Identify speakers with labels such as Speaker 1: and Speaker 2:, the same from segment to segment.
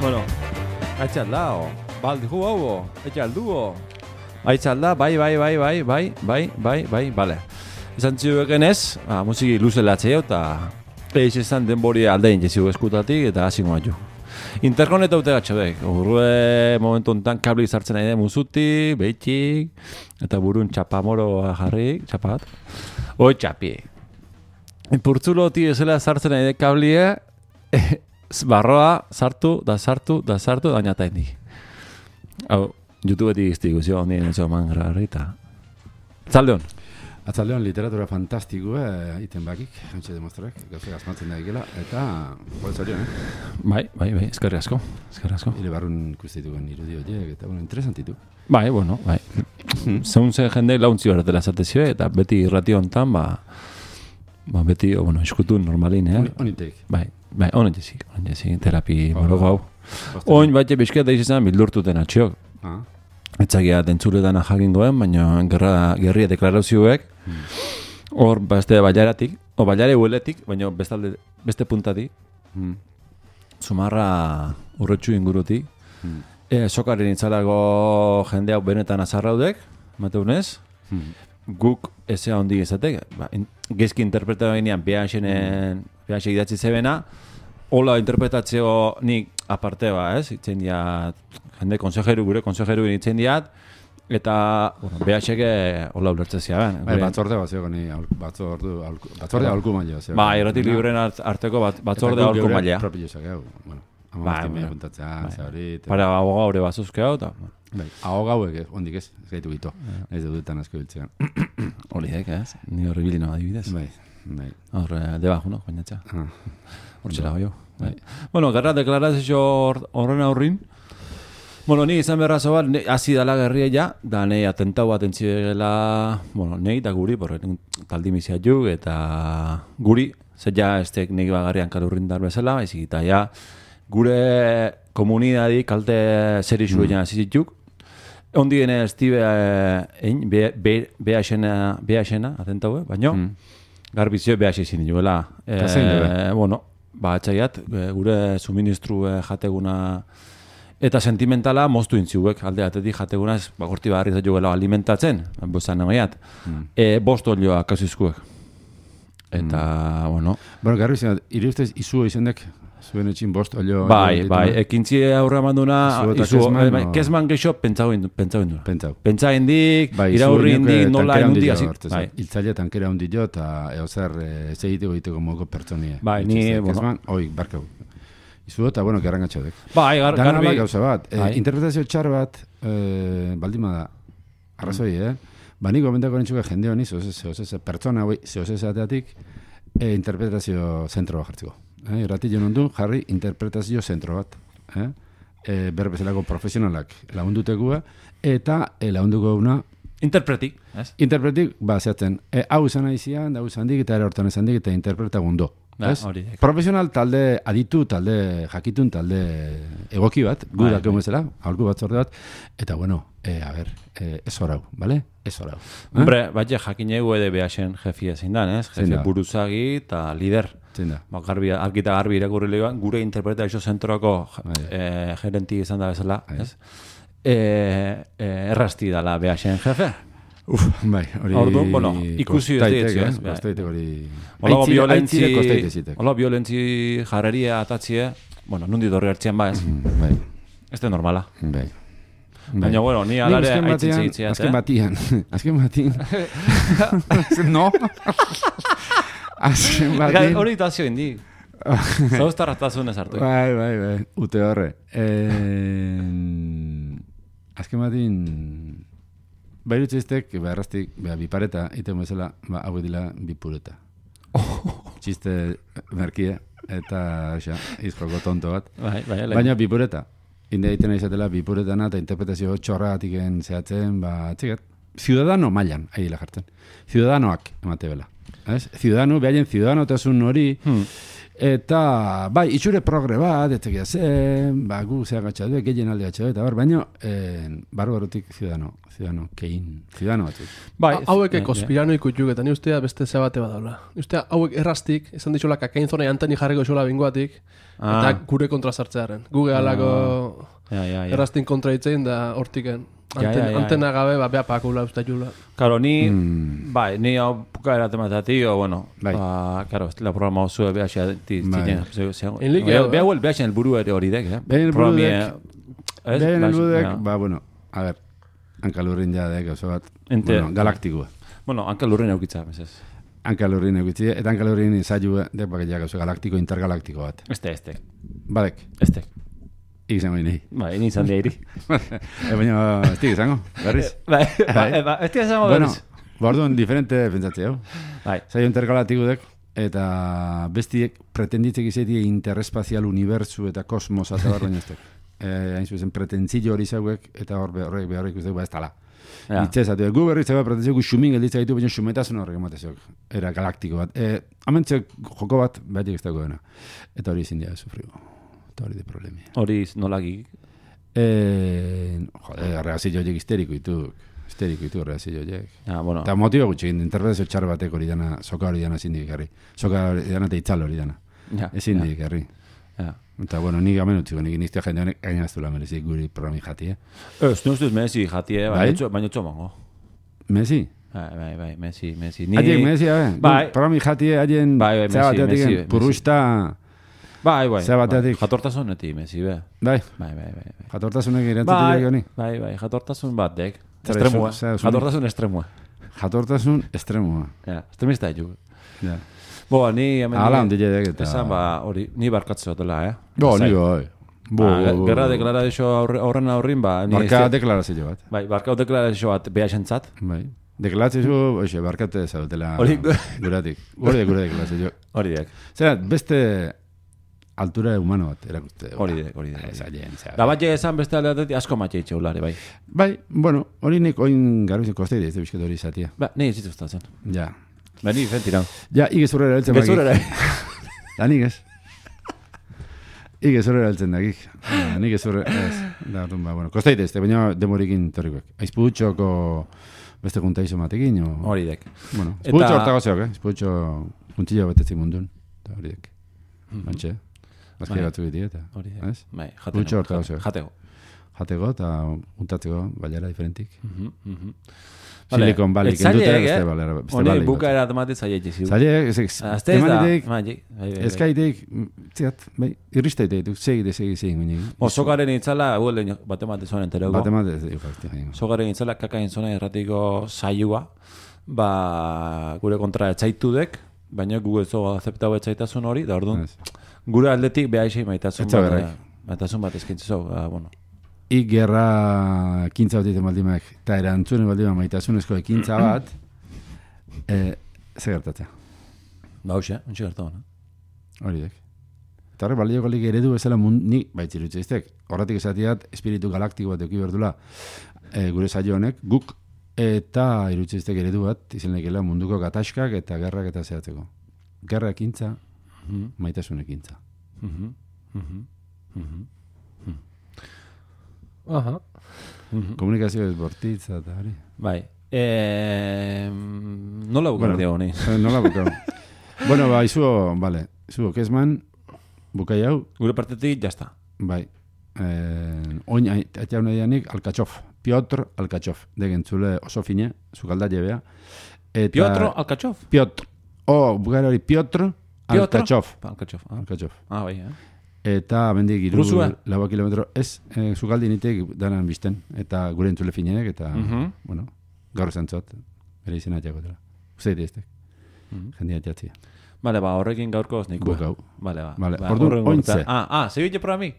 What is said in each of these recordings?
Speaker 1: Bueno, aitzaldao, baldihu hau, aitzalduo. Aitzalda, bai, bale. Izan ziueken ez, musiki luzelatzeo eta eix izan denbori aldein jeziu eskutatik eta hasi goatu. Interkoneta ute gatxodek, urrue momentu enten kabli sartzen nahi den muzuti, behitik, eta burun txapamoroa jarrik, txapat. Hoi txapi. Purtzuloti ezela sartzen nahi den kablie, barroa sartu, dañata indi. Hau, YouTubeetik iztiguzio ondien ez oman grarrita. Atzaldeon.
Speaker 2: Atzaldeon literatura fantastikoa iten bakik, hantxe demostrek, gauze asmatzen da egela, eta boltzorion,
Speaker 1: Bai, eskerri asko.
Speaker 2: Hile barrun ikustituken irudi horiek, eta interesantitu.
Speaker 1: Bai. Zeun zen jende launtzi horretela zatezio, eta beti irrati hontan, beti, eskutun normalin,
Speaker 2: Onitek.
Speaker 1: Bai, honen jezik, terapi morogo hau. Oin batxe bizkieta izan bildurtuten atxiok. Etzakia dentzuletan jakingoen, baina gerria deklarazioek, hor beste bailaratik, o bailare hueletik, baina beste puntatik, Zumarra urretxu ingurutik, sokaren itzalago jende hau benetan azarraudek, mateunez, guk ezea hondi izatek, gezki interpretatu ginean behaxe idatzi zebena, hola interpretatzeo nik aparte itzen diat, jende gure konsejeru itzen diat, eta behaxeke hola ulertzezia ben.
Speaker 2: Batzorde bat zegoen, batzorde aholku maila.
Speaker 1: Erratik libren arteko batzorde aholku maila.
Speaker 2: Eta propio zake hau, amortimia puntatzea, zaurit.
Speaker 1: Para ahoga hori bazuzke hau, eta...
Speaker 2: Ahoga hauek, ondik ez gaitu gitu, ez dudutan asko biltzean.
Speaker 1: Horiek ez, ni horri bilino adibidez.
Speaker 2: Bai.
Speaker 1: Horre, debajo, no, bainatxa. Hortxela goio. Bueno, gerra deklarazio horren aurrin. Bueno, ni izan berrazo bat, hasi dala gerria ja, da nahi atentau bat entziegela, nahi da guri, taldi mizia juk, eta guri, zer ja estek nahi bagarrian kalurrin dar bezala, baizik eta ja, gure komunidadi kalte zer isu egin azizituk, ondi gene estibe behaxena, atentau, baino, garbizio behaxe izin duela. Atxaiat, gure suministru jateguna eta sentimentala moztu intziuek, alde atetik jateguna ez gorti bagarri zaitu alimentatzen, bozan nagoiat, bost olioa kasizkuek. Eta,
Speaker 2: garbi zen, iruztez izu izendek, zuen etxin bost olio...
Speaker 1: Bai, ekintzi aurra manduna, kezman geixo pentsau indu. Pentsa indik, iraurri indik, nola indundi.
Speaker 2: Iltzaile tankera hundi jo, eta eozer egiteko moko pertsonie.
Speaker 1: Bai, ni...
Speaker 2: Kezman, barkau. Izu eta, gerrangatxo dek.
Speaker 1: Bai, garbi...
Speaker 2: Gauza bat, interpretazio txar bat, baldima da, arrazoi, Niko gomendako nintzuke jende honi, pertsona hoi, zehozezateatik, interpretazio zentro bat jartzeko. Irratillo nondu, jarri interpretazio zentro bat. Berbezalako profesionalak lagundutekua, eta lagunduko una...
Speaker 1: Interpretik.
Speaker 2: Zehatzen, hau izan aizian, hau izan dik, eta ere hortan izan dik, eta interpreta gundo. Profesional talde aditu, talde jakitun, talde egoki bat, gurak emezela, aholku bat zorde bat, eta ez horau, bale? Ez horau.
Speaker 1: Hombre, batxe jakinegu ede behasen jefia zein dan, ez? Jefe buruzagi eta lider. Argita garbi irakurri lehioan, gure interpretazio zentroako gerenti izan da bezala, ez? Errasti dala behasen jefe.
Speaker 2: Hori...
Speaker 1: Ikusi ez dietzu, ez?
Speaker 2: Kostaitek hori...
Speaker 1: Hola violentzi jarreria atatzie, nundi dorri hartzean ez? Ez da normala. Baina, ni alare aitzitze hitziat,
Speaker 2: Azken batian. No? Azken batian.
Speaker 1: Hori itazio indik. Zauztarratazun ez hartu.
Speaker 2: Bai. Ute horre. Azken batian... Bairutzeiztek, erraztik, bipareta, iten bezala, hau dila bipureta. Txiste merkie, eta izkoko tonto bat. Baina bipureta. Inde egiten izatela bipuretana eta interpretazio txorra atiken zehatzen, txigat. Ciudadano mailan, ahila jartzen. Ciudadanoak emate bela. Ciudadano, behaien ciudadanotasun hori, Eta, bai, itxure progre bat, etzekia zen, gu zea gatxadu, gehien alde gatxadu, eta baina, barbarotik ziudadano batzuk.
Speaker 3: Bai, hauek konspirano ikutuk, eta ni ustea beste zea bate badaula. Ustea hauek errastik, esan ditxola kakain zona anteni jarriko zola bingoatik, eta gure kontra sartzearen. Guge alako errastin kontra itzein da hortiken. Antena gabe, bea pakula usta jula.
Speaker 1: Karo, ni hau pukaera tematati, bueno, karo, la programa oso beha xea beha huel beha xean elburu ere hori dek,
Speaker 2: Beha elburudek, bueno, a ver, hankalurrin ja dek, oso bat, galaktikoa.
Speaker 1: Bueno, hankalurrin eukitza, mesez.
Speaker 2: Hankalurrin eukitzi, eta hankalurrin izailu dek, baketiak, oso galaktiko, intergalaktiko bat.
Speaker 1: Este.
Speaker 2: Badek.
Speaker 1: Este.
Speaker 2: Izango ini.
Speaker 1: Bai, ni izan diairi.
Speaker 2: Baina, estik izango, berriz.
Speaker 1: Estik izango berriz.
Speaker 2: Orduan, diferente pentsatzea. Zailo intergalatikudek, eta bestiek pretenditzek izaiti interespazial unibertsu eta kosmosa eta barroin eztek. Hain zuzen, pretentzio hori zauek, eta horrek beharrik usteko, ez tala. Itzezatu, gu berriz zego pretentzio, gu xumin gelditzak ditu, baina xumetazun horrek ematezok. Era galaktiko bat. Hamentzek joko bat, behatik ez dago dena. Eta hori izin dia sufrigo. Eta hori de problemi.
Speaker 1: Hori nolaki?
Speaker 2: Reazio joiek histeriko ditu reazio joiek.
Speaker 1: Bueno.
Speaker 2: Eta motibo gutxi, interpretazio txar batek hori dana, soka hori dana zindik garri. Soka hori dana eta itzal hori dana. Ezin dik garri. Eta, bueno, nik amen utziko, nik nizte jende honek gainaztula merezik guri programi jati,
Speaker 1: Ez ustuz Messi jati, baina txomango.
Speaker 2: Messi?
Speaker 1: Bai, Messi.
Speaker 2: Adiek Messi, programi jati, adien
Speaker 1: Messi,
Speaker 2: purusta...
Speaker 1: Bai.
Speaker 2: Zea bateatik.
Speaker 1: Jatortasuneti, Messi, be.
Speaker 2: Bai. Jatortasunek irentzatik honi.
Speaker 1: Bai, jatortasun bat, dek. Estremua. Jatortasun estremua.
Speaker 2: Jatortasun estremua.
Speaker 1: Estremista ditu.
Speaker 2: Boa, ni... Ala, ondile dek eta...
Speaker 1: Esan, hori, ni barkatzu dutela,
Speaker 2: ni bai.
Speaker 1: Gerra deklarazio aurrin,
Speaker 2: Barka deklarazio bat.
Speaker 1: Bai, barka deklarazio bat beha esentzat.
Speaker 2: Bai. Deklarazio, barkate zaudela guratik. Gure deklarazio.
Speaker 1: Hori dek.
Speaker 2: Zera, beste... altura humano bat, erakuste.
Speaker 1: Hori dek. Da bat esan beste aldeatetik asko matxe itxe ulare, bai.
Speaker 2: Bai, bueno, hori nik oin garbizen kosteide ez bizket hori izatia.
Speaker 1: Ni ez dituztatzen.
Speaker 2: Ja.
Speaker 1: Ni fentirau.
Speaker 2: Ja, igezurrera eltzen bakik.
Speaker 1: Gezurrera.
Speaker 2: Da nik ez. Igezurrera eltzen dakik. Nik ezurrera, ez. Da, bueno, kosteide ez, baina demorikin torrikoek. Aizputxoko beste kuntaizo matekin, o...
Speaker 1: Hori dek.
Speaker 2: Bueno, izputxo hortagozeok, izputxo kuntilla betetzi mundun. Hori dek. Bantxe. Azke batzu biti, eta...
Speaker 1: Bai,
Speaker 2: jatego eta untatzeko balera diferentik. Silikon balik, endute beste balera.
Speaker 1: Honi buka eratamate zaiek jizu.
Speaker 2: Zaiek, eskaitek, ziat, irristaitek, segi.
Speaker 1: Sokaren itzala, batemate zonen terego.
Speaker 2: Batemate,
Speaker 1: Sokaren itzala kakain zona erratiko saioa, gure kontra etzaitudek, baina gu ez zo azeptau etzaitasun hori, da orduan, gure aldetik beha isei maitasun bat eskintzu, bueno.
Speaker 2: Gerra ekintza bat egiten baldimak, eta erantzunen baldimak maitasunezko ekintza bat, ze gertatzea?
Speaker 1: Hoxe gertu, no?
Speaker 2: Hori dek. Eta horre balioko lik eredu bezala nik baitzirutze iztek. Horretik esatiat, espiritu galaktiko bat euki berdula gure saio honek, guk eta irutze iztek eredu bat, izen lekela munduko gatazkak eta gerrak eta zehatzeko. Gerra ekintza, maitasun ekintza. Komunikazio ez bortitza eta hori.
Speaker 1: Bai. Nola bukau diago honi?
Speaker 2: Nola bukau. Bueno, izuo, vale. Izuo, kezman, bukai hau.
Speaker 1: Gure partetik, jazta.
Speaker 2: Bai. Oin, atia hona dianik, Alkatxof. Piotr Alkatxof. Degentzule oso fine, zukalda jebea.
Speaker 1: Piotr Alkatxof?
Speaker 2: Piotr. Bukai hori, Piotr Alkatxof.
Speaker 1: Alkatxof. Bai,
Speaker 2: Eta bendik iru lau kilometro ez, zukaldi nitek danan bizten, eta gure entzule finenek, eta, bueno, gaur zantzot, bere izena atxako dela. Uzeit eztek, jendia atxatzia.
Speaker 1: Bale, horrekin gaurko oznik.
Speaker 2: Bukau.
Speaker 1: Bale,
Speaker 2: orduan ointze.
Speaker 1: Segitxe pro mi?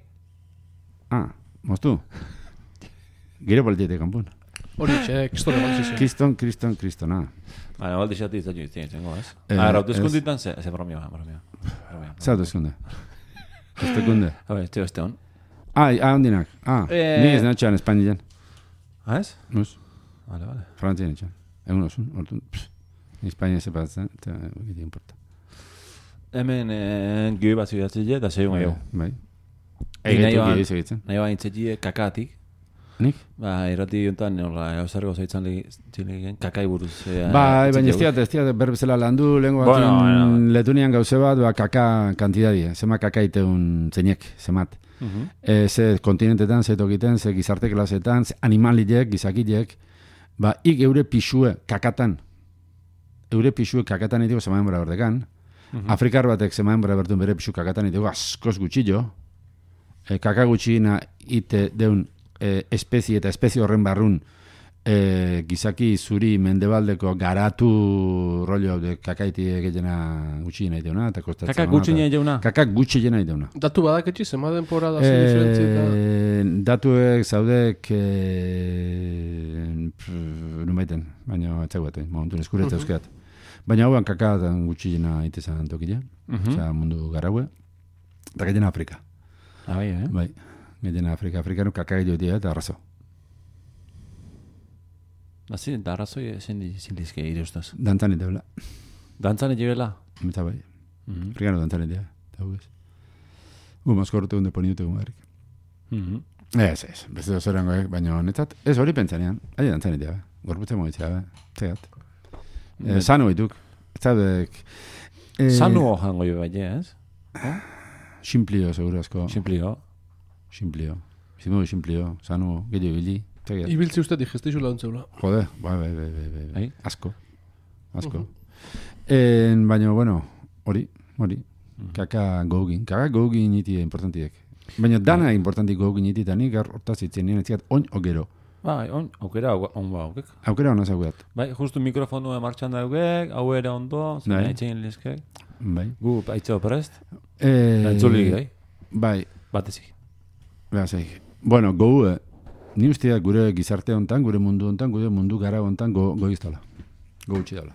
Speaker 2: Moztu. Gire politiete kanpun.
Speaker 3: Hori, kistone balzizio.
Speaker 2: Kriston,
Speaker 1: Bale, baldi xati izan juiztien, zengo, ez? Hautezkunditan ze bromioa.
Speaker 2: Ze hautezkunde? Estekunde.
Speaker 1: Teo este hon.
Speaker 2: Ondinak. Ni ez natxan Espainian.
Speaker 1: Ez?
Speaker 2: Nuz.
Speaker 1: Vale.
Speaker 2: Frantzien natxan. Egun osun. Ni Espainia sepatzen, eta giti importa.
Speaker 1: Hemen gehi bat zidatzen eta zeiun gehiago.
Speaker 2: Bai.
Speaker 1: Nahi bain txetxie kakatik.
Speaker 2: Nik?
Speaker 1: Irrati jontan, gauzargo zaitzan legin, kakai buruz.
Speaker 2: Bai, baina ez diat berbezela landu, lehenko bat letunian gauze bat, kaka kantidadi, zema kaka iteun zeinek, zemat. Ze kontinentetan, ze tokiten, ze gizarte klasetan, ze animalilek, gizakilek, ik eure pixue kakatan. Eure pixue kakatan itiko zemaen bera berdekan. Afrikar batek zemaen bera bertun bere pixu kakatan itiko askoz gutxillo. Kaka gutxina ite deun espezie eta espezie horren barrun gizaki zuri mendebaldeko garatu rollo de kakaiti gehiena gutxi nahi deuna.
Speaker 1: Kakak gutxi nahi deuna?
Speaker 2: Kakak gutxi nahi deuna.
Speaker 3: Datu badaketxi, zema denpora da zen diferentzia?
Speaker 2: Datuek zaudek numaiten, baina etzaguatu, momentu eskuretza euskeat. Baina hauan kakatan gutxi nahi itezan tokile, mundu garaue, eta gehiena Afrika.
Speaker 1: Bai,
Speaker 2: Bai. Gehiena Afrikanu kakak joitea eta arrazo.
Speaker 1: Nazi, eta arrazoi zindizke ireustaz.
Speaker 2: Dantzan iteula.
Speaker 1: Dantzan iteula?
Speaker 2: Eta bai. Afrikanu dantzan itea. Eta hugez. Mazkortu hunde poniute gumarik. Ez. Beste dozorango, baina netzat. Ez hori pentsanean. Aile dantzan itea, gorputze moitzea, zegat. Sanu ituk.
Speaker 1: Sanu jango jo bai, ez?
Speaker 2: Simplio, seguro asko.
Speaker 1: Simplio.
Speaker 2: Zimugu simplio. Sanu, gehiago ibili.
Speaker 3: Ibiltze uste digesteizu laguntzeula.
Speaker 2: Jode, bai. Asko. Baina, bueno, hori. Kaka gogin. Kaka gogin iti importantiek. Baina dana importantik gogin iti eta nik hortaz itzen nien etziat oin ogero.
Speaker 1: Bai, aukera on ba aukek.
Speaker 2: Aukera on azaguat.
Speaker 1: Bai, justu mikrofonu martxan daugek, hau ere ondo, zena itxein lezkek.
Speaker 2: Bai.
Speaker 1: Gu aitzeo prest. Entzulik, bai?
Speaker 2: Bai.
Speaker 1: Batezik.
Speaker 2: Bueno, ni usteak gure gizarte hontan, gure mundu hontan, gure mundu gara hontan goiztala. Gutxi dala.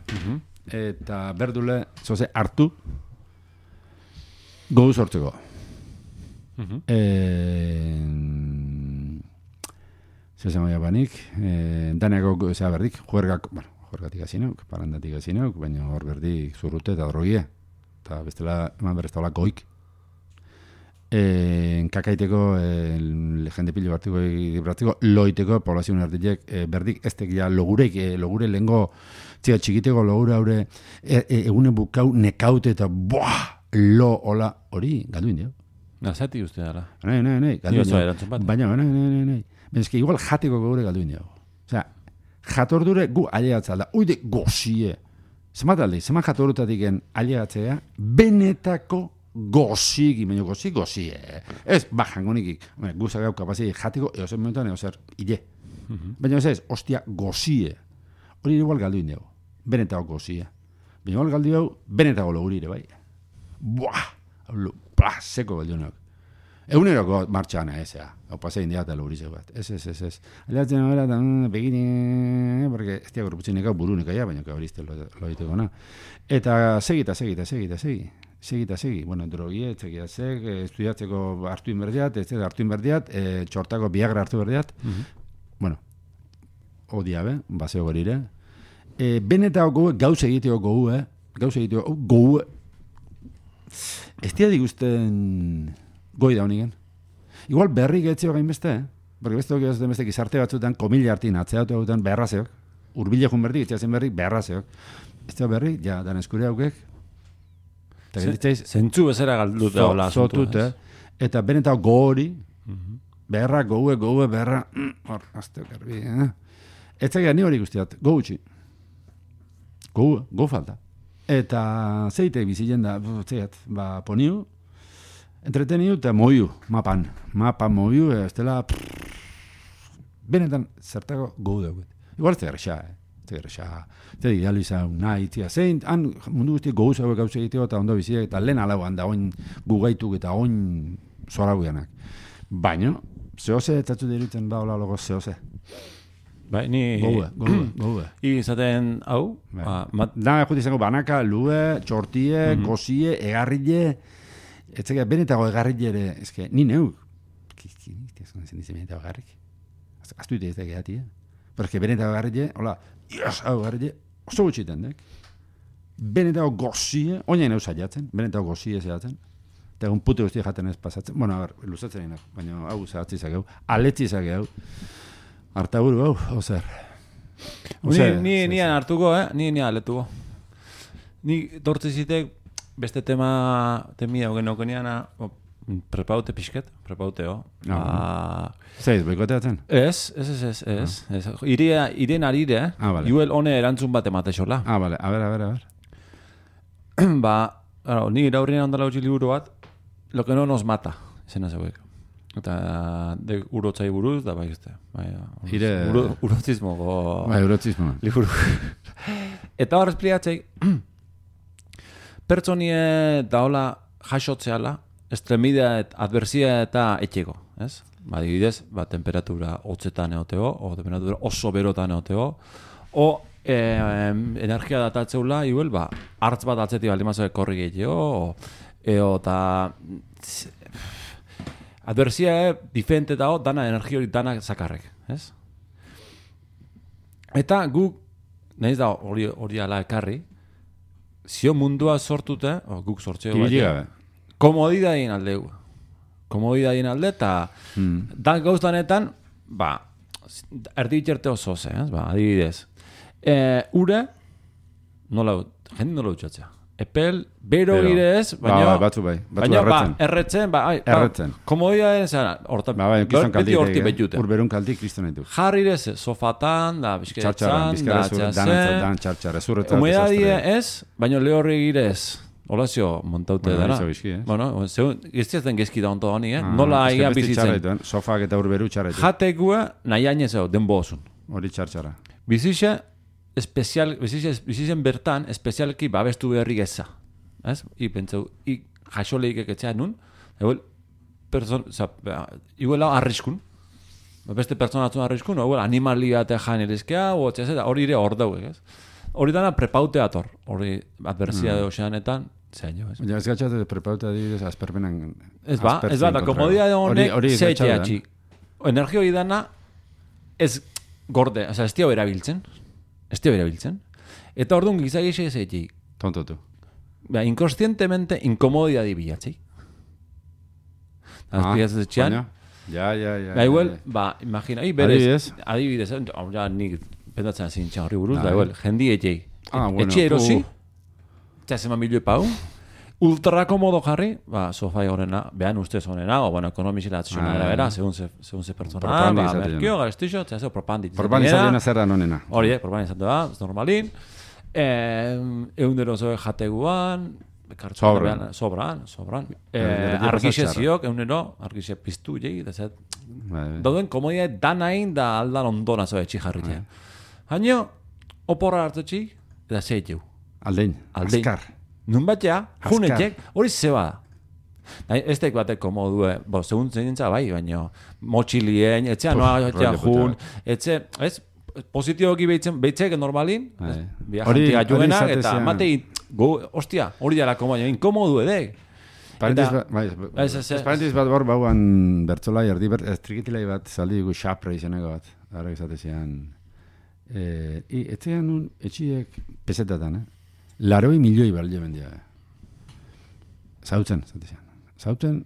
Speaker 2: Eta berdule, zoze, hartu, gouz hortzeko. Zezan maia banik, daneako zea berdik, juergatik azineuk, parandatik azineuk, baina hor berdik zurrute eta drogie. Eta bestela, eman berreztaula goik. Kakaiteko jende pilo bartiko loiteko poblazioen artitek berdik ez tekia logure lehengo txikiteko logure haure egune bukau nekaute eta lo hola hori galdu indio.
Speaker 1: Nazati uste dara.
Speaker 2: Nahi, galdu indio. Baina, nahi. Bezke igual jateko gaure galdu indio. Osea, jatordure gu ailegatzea da. Uide gozie. Zemat alde, zemat jatorutatik ailegatzea benetako gozik, baina gozi. Ez, jango nikik. Guzak gau kapazei jatiko, eozen momentuan eozer hile. Baina ez, ostia, gozie. Hori igual galdu indego. Benetako gozie. Baina igual galdu hau, benetako logurire, bai. Seko galdu nauk. Eguneroko martxana, hau pasei india eta logurizeko bat. Ez. Aliatzen hori eta begine, porque ez diak gorputzenek hau burunek aia, baina hori izte loiteko na. Eta segi. Bueno, drogie, txekiatzek, estudiatzeko hartu inberdiat, txortako biagra hartu berdiat. Bueno, odia, baseo gorire. Benetako goue, gauz egiteko goue. Ez dia digusten goi da honigen. Igual berri getzio gain beste, porque beste gizarte batzutan, komila hartin, atzeatu hautan beharrazeok. Urbile jun berdik, itxazen berrik, beharrazeok. Ez da berri, ja, dan eskure haukek.
Speaker 1: Zentzu bezera galduta hola asuntua.
Speaker 2: Eta benetako gori, beharra, goue, beharra, hor, azteo garbi, Ez zaila ni hori guztiat, gutxi. Go falta. Eta zeitek bizilen da, poniu, entreteniu eta moiu, Mapa moiu, ez dela, benetan zertako gau dugu. Igual ez tegerrexa, eta idealiza nahi, zein, mundu guztiak gouz hauek gauz egiteko eta ondo biziak, eta lehen alauan da oin gugaituk eta oin zora guianak. Baina, zehose, eta zu dirutzen hola logo zehose.
Speaker 1: Bai, ni...
Speaker 2: Goue.
Speaker 1: Izaten, hau?
Speaker 2: Da, juti izango, banaka, lue, txortie, gozie, egarrile, etzak benetako egarrile ere, ezke, ni neuk. Benetako egarrik. Aztu ite ez da gehati, Pero es que benetako egarrile, hola, hau egarrile, oso gutxiten, benetako gozie, oinain eus aiatzen, benetako gozie zehatzen, eta egun pute guzti jaten ez pasatzen. Bueno, a ver, luzatzen egin, baina hau zehatzi zakeu, aletzi zakeu, hartaburu, ozer.
Speaker 1: Ni hartuko, ni aletuko. Ni tortzizitek beste temia hogen okeniana, prepaute pixket, prepauteo.
Speaker 2: Zeiz, boikoteatzen?
Speaker 1: Ez. Irien arire, juel hone erantzun bat ematexola.
Speaker 2: Vale, a ver.
Speaker 1: Ni iraurrien handala utzi liburu bat, lo que no nos mata, izena zeuek. Eta urotzai buruz, da bai este. Urotzismo.
Speaker 2: Bai, urotzismo.
Speaker 1: Liburu. Eta hor espliatzei, pertsonie daola jasotzeala, estremidea adversia eta etxego, ez? Adibidez, temperatura hotzetan eoteo, o temperatura oso berotan eoteo, o energia datatzeula, igual, hartz bat atzetik baldimazoek korri gehiago, eta adversia diferente dago, dana energia hori dana zakarrek, ez? Eta guk, nahiz da hori ala ekarri, zio mundua sortute, guk sortzeo
Speaker 2: bat,
Speaker 1: komodidadien alde, eta dan gauztanetan, erdi bitxerte oso ze, adibidez. Ure, jende nola utxatzea. Epel, bero gire ez, baina erretzen. Komodidadien zara, beti horti betute.
Speaker 2: Urberun kaltik kriston ditu.
Speaker 1: Jarrirez, sofatan, da, bizkeretzan,
Speaker 2: dan txartxarre, zurretzat.
Speaker 1: Humedadie ez, baina lehorri gire ez. Olazio montaute dara. Bueno, giztiazen gezki da onto honi, nola aigan bizitzen.
Speaker 2: Sofak eta urberu txarretu.
Speaker 1: Jatekua nahi ainezeo, denbo osun.
Speaker 2: Hori txartxara.
Speaker 1: Bizitzen bertan, espezialki babestu beharri geza. Ez? Pentsau, jasoleik eketzea nun, igual arriskun. Beste pertsonatzen arriskun, animali bat jan erizkea, hori ere hor dauek, ez? Hori dana prepaute ator, hori adversia de oceanetan, zein jo, ez?
Speaker 2: Ja, ez gatxate prepaute adibidez asperpenan...
Speaker 1: Ez ba, da komodia de honek zeiteatxi. Energia hori dana ez gorde, ez tio erabiltzen. Eta orduan gizagixe zeitxi.
Speaker 2: Tontotu.
Speaker 1: Inconscientemente incomodia dibilatzi.
Speaker 2: Ja.
Speaker 1: Igual, imagina, adibidez, ja, nik pendatzen zintxan horri buruz, da igual, jendi etxei. Etxe erosi, txasema milioi pau, ultra komodo jarri, sofai horrena, behan ustez horrena, o, ekonomizila atzizuna era, segun ze pertsona, merkio, garestixo, txaseo propandi.
Speaker 2: Propandi zaldena zerra nonena.
Speaker 1: Hori, propandi zaldena, ez normalin, eundero zoe jateguan, sobran. Argixe ziok, eunero, argixe piztu jegi, da zet. Dauden komodia danain da aldan ondona zoe txijarritzen. Haino, oporra hartutxi, eta zeiteu.
Speaker 2: Aldein, azkar.
Speaker 1: Nun batea, junetek, hori zeba da. Ez teik batek komodue, segun zeinintza bai, baina motxilien, etxea noa jun, etxe, ez, positioki behitzek normalin, viajantia juenak, eta matei, ostia, hori dela komodia, inkomodu edek.
Speaker 2: Parentis bat bor bauan bertzolai, estrikitilai bat, zaldi dugu xapre izaneko bat, gara izatezian. Etzean nun, etxiek pesetatan, laroi milioi balio bendia. Zautzen, zatezian. Zautzen,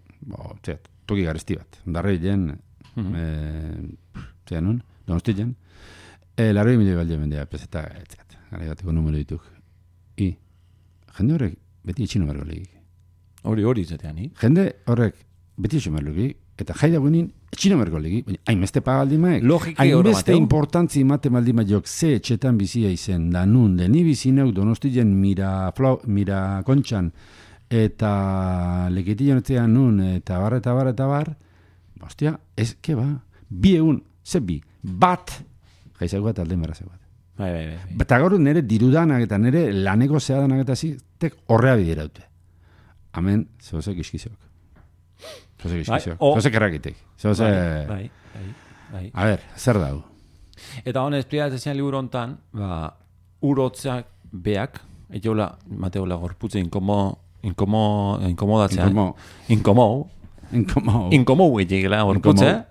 Speaker 2: toki garesti bat. Darrei jen, zean nun, donosti jen, laroi milioi balio bendia, peseta, etziat. Gara gateko numero dituk. Jende horrek beti etxino bergo legik.
Speaker 1: Hori zatean,
Speaker 2: Jende horrek beti etxino bergo legik, eta jaida guenin etxino bergo legik, hainbeste pagaldi maek. Hainbeste importantzi imate maldi maiok ze etxetan bizia izen, da nun, de ni bizineu donostien mira kontxan, eta leketien etzean nun, eta bar, hostia, ez, ke ba, bi egun, ze bi, bat, jaizak bat alden berazak bat. Eta gaur nire dirudanak eta nire laneko zeadanak eta zitek horrea bidiraute. Hemen, zehozek iskiziok. Zehozek errakitek.
Speaker 1: Bai.
Speaker 2: A ver, zer dago?
Speaker 1: Eta honez, pliatzen liburu hontan, urotzak beak, etxola, mateola gorputze inkomodatzea. Inkomou egela gorputze.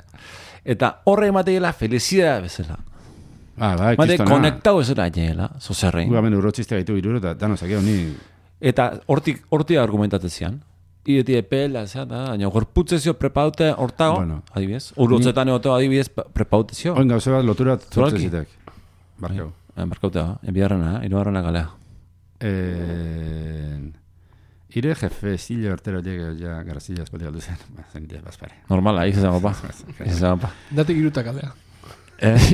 Speaker 1: Eta horre emateela felicidad bezala.
Speaker 2: Bai,
Speaker 1: Mate, konektau ez da jela, zozerrein.
Speaker 2: Gugamen urotxiste gaitu iruro, eta danosakeo ni...
Speaker 1: Eta hortik argumentatezian. Ieti epela, baina gorputzezio prepaute hortago, adibidez. Urotzetan egoteo adibidez prepautezio.
Speaker 2: Oin gauze bat lotura zortzezitek. Barkau.
Speaker 1: Barkautea, enbiarrena, irugarrena galea.
Speaker 2: Ire jefe zile hortero ja garazila espaldi galdu zen. Zenite, bazpare.
Speaker 1: Normala, izan pa.
Speaker 3: Datik irutak alea.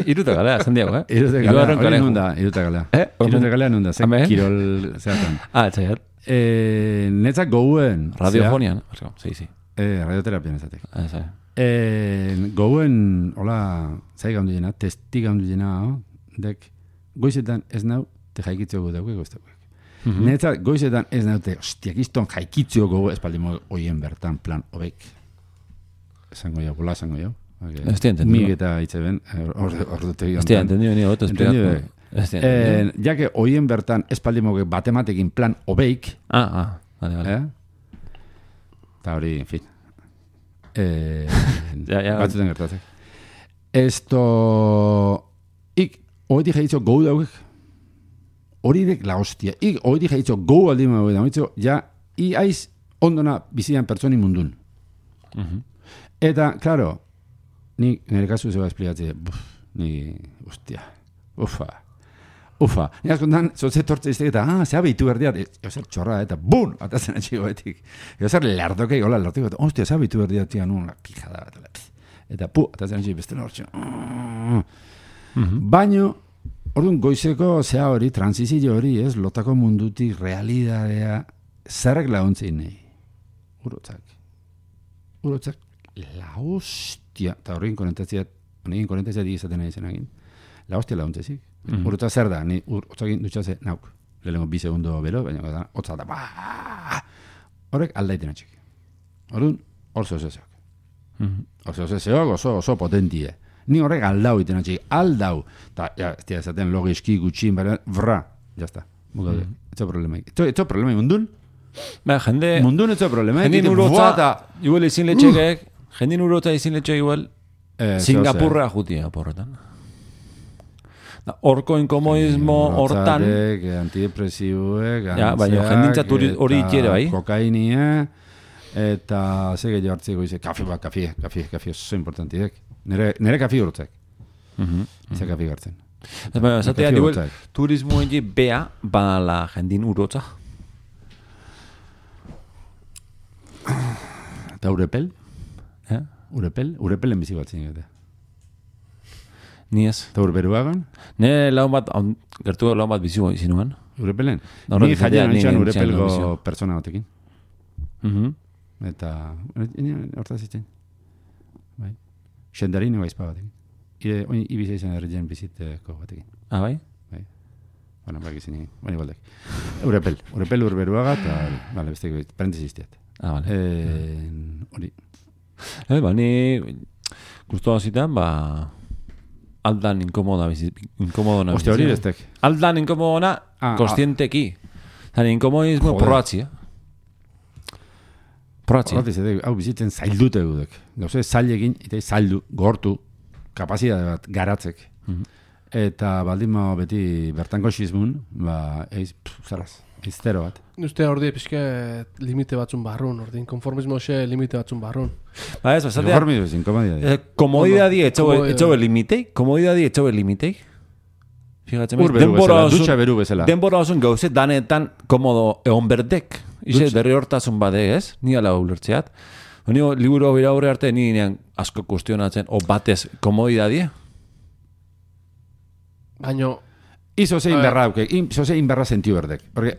Speaker 1: Iruta galea, zen diago,
Speaker 2: Iruta galea, hori nunda, iruta galea. Iruta galea nunda, zen kirol zehatan.
Speaker 1: Txaiat.
Speaker 2: Netzak gouen...
Speaker 1: Radiofonian, sí.
Speaker 2: Radioterapia nezatek. Gouen, hola, zai gaundu jena, testi gaundu jena, dek, goizetan ez nau, te jaikitzeo dauke goztauek. Netzak goizetan ez naute, hostiak izton jaikitzeo gogo espaldimo oien bertan plan obek. Esango jau, bola esango jau. Mig eta itxeben, ordutegi ontan.
Speaker 1: Estia, entendio ni goto esplikatu.
Speaker 2: Ja que oien bertan espaldimoke batematekin plan obeik.
Speaker 1: Vale.
Speaker 2: Eta hori, en fin.
Speaker 1: Batzuten
Speaker 2: gertatzek. Esto... Ik, hori jaitzo gau daugek. Hori dek la hostia. Ik, hori jaitzo gau aldi mago da. Ja, i aiz ondona bizian pertsoni mundun. Eta, claro, ni nire kasu zeba esplikatzea. Ni, hostia. Ufa. Ni askontan, zoze tortze iztek eta, zea behitu berdiat. Eozer txorra eta, bun! Atatzen atxiko betik. Eozer lardokei, hola, lardokei, hostia, zea behitu berdiat, tia, nun, la pijada bat. Eta, atatzen atxiko beste nortxo. Baino, orduan goizeko zea hori, transizio hori, ez, lotako mundutik, realidadea, zerrek laguntzein nahi. Urotzak, la hostia, eta horrein konentazia digizaten nahi zenagin. La hostia laguntzezik. Urotza zer da, ni urotzakin dutxaze nauk. Lehenko 2 segundo bero, baina hotza da, horrek aldaiten atxik. Orduan, hor zozezeok. Oso potentie. Ni horrek aldau iten atxik. Aldau. Ta, ja, ez dira esaten logiski gutxin, vra. Jazta. Mugaude. Etxo problemaik. Etxo problemaik mundun?
Speaker 1: Jende...
Speaker 2: Mundun etxo problemaik.
Speaker 1: Jendin urotza, igual izin letxekek, jendin urotza izin letxek igual, Singapurra jutia porretan. Horko inkomoismo hortan...
Speaker 2: Antidepresiuek,
Speaker 1: baina jendintzat hori itxere bai.
Speaker 2: Kokainia, eta ze gehiago hartzeko ize, kafe, oso importantiek. Nere kafe urotzek. Ze kafe gartzen.
Speaker 1: Zatea, turismo egi bea bala jendin urotza.
Speaker 2: Eta urepel? Urepelen bizi batzen gata.
Speaker 1: Ni ez.
Speaker 2: Eta urberuagan?
Speaker 1: Ne laun bat, gertu laun bat bizi zinuan.
Speaker 2: Urepelen? Ni jaian nintxan urepelgo persona batekin. Eta, hortaz itzen. Bai. Xendarin eba izpa batekin. Ibiza izan erretzen biziteko batekin.
Speaker 1: Bai?
Speaker 2: Bai. Bueno, bak izan egin. Bani baldek. Urepel urberuaga, eta, beste parentesiztiat.
Speaker 1: Vale.
Speaker 2: Hori.
Speaker 1: Ni guztua zitan, aldan inkomodona.
Speaker 2: Ostia, hori bestek.
Speaker 1: Aldan inkomodona, kostienteki. Zani, inkomoismo probatzi,
Speaker 2: Hau bizitzen zaildute gudek. Gauze, zailegin, eta zaildu, gortu, kapazidade bat garatzek. Eta baldima beti bertango xizmun, zaraz, iztero bat.
Speaker 3: Ustea ordi pixke limite batzun barrun, ordin, konformismo xe limite batzun barrun.
Speaker 2: Konformismo ezin, komodidadi.
Speaker 1: Komodidadi etxobe limitei? Komodidadi etxobe limitei?
Speaker 2: Urberu bezala, dutxa beru bezala.
Speaker 1: Denbora osun gauze, danetan komodo egon berdek. Ize, derri hortazun bade, ez? Ni ala ulertzeat. Ni liburu hori aurre arte, ni nean asko kustionatzen, o batez komodidadi?
Speaker 3: Baina...
Speaker 2: Izo zein berra daukek, izo zein berra sentiu berdek. Porque,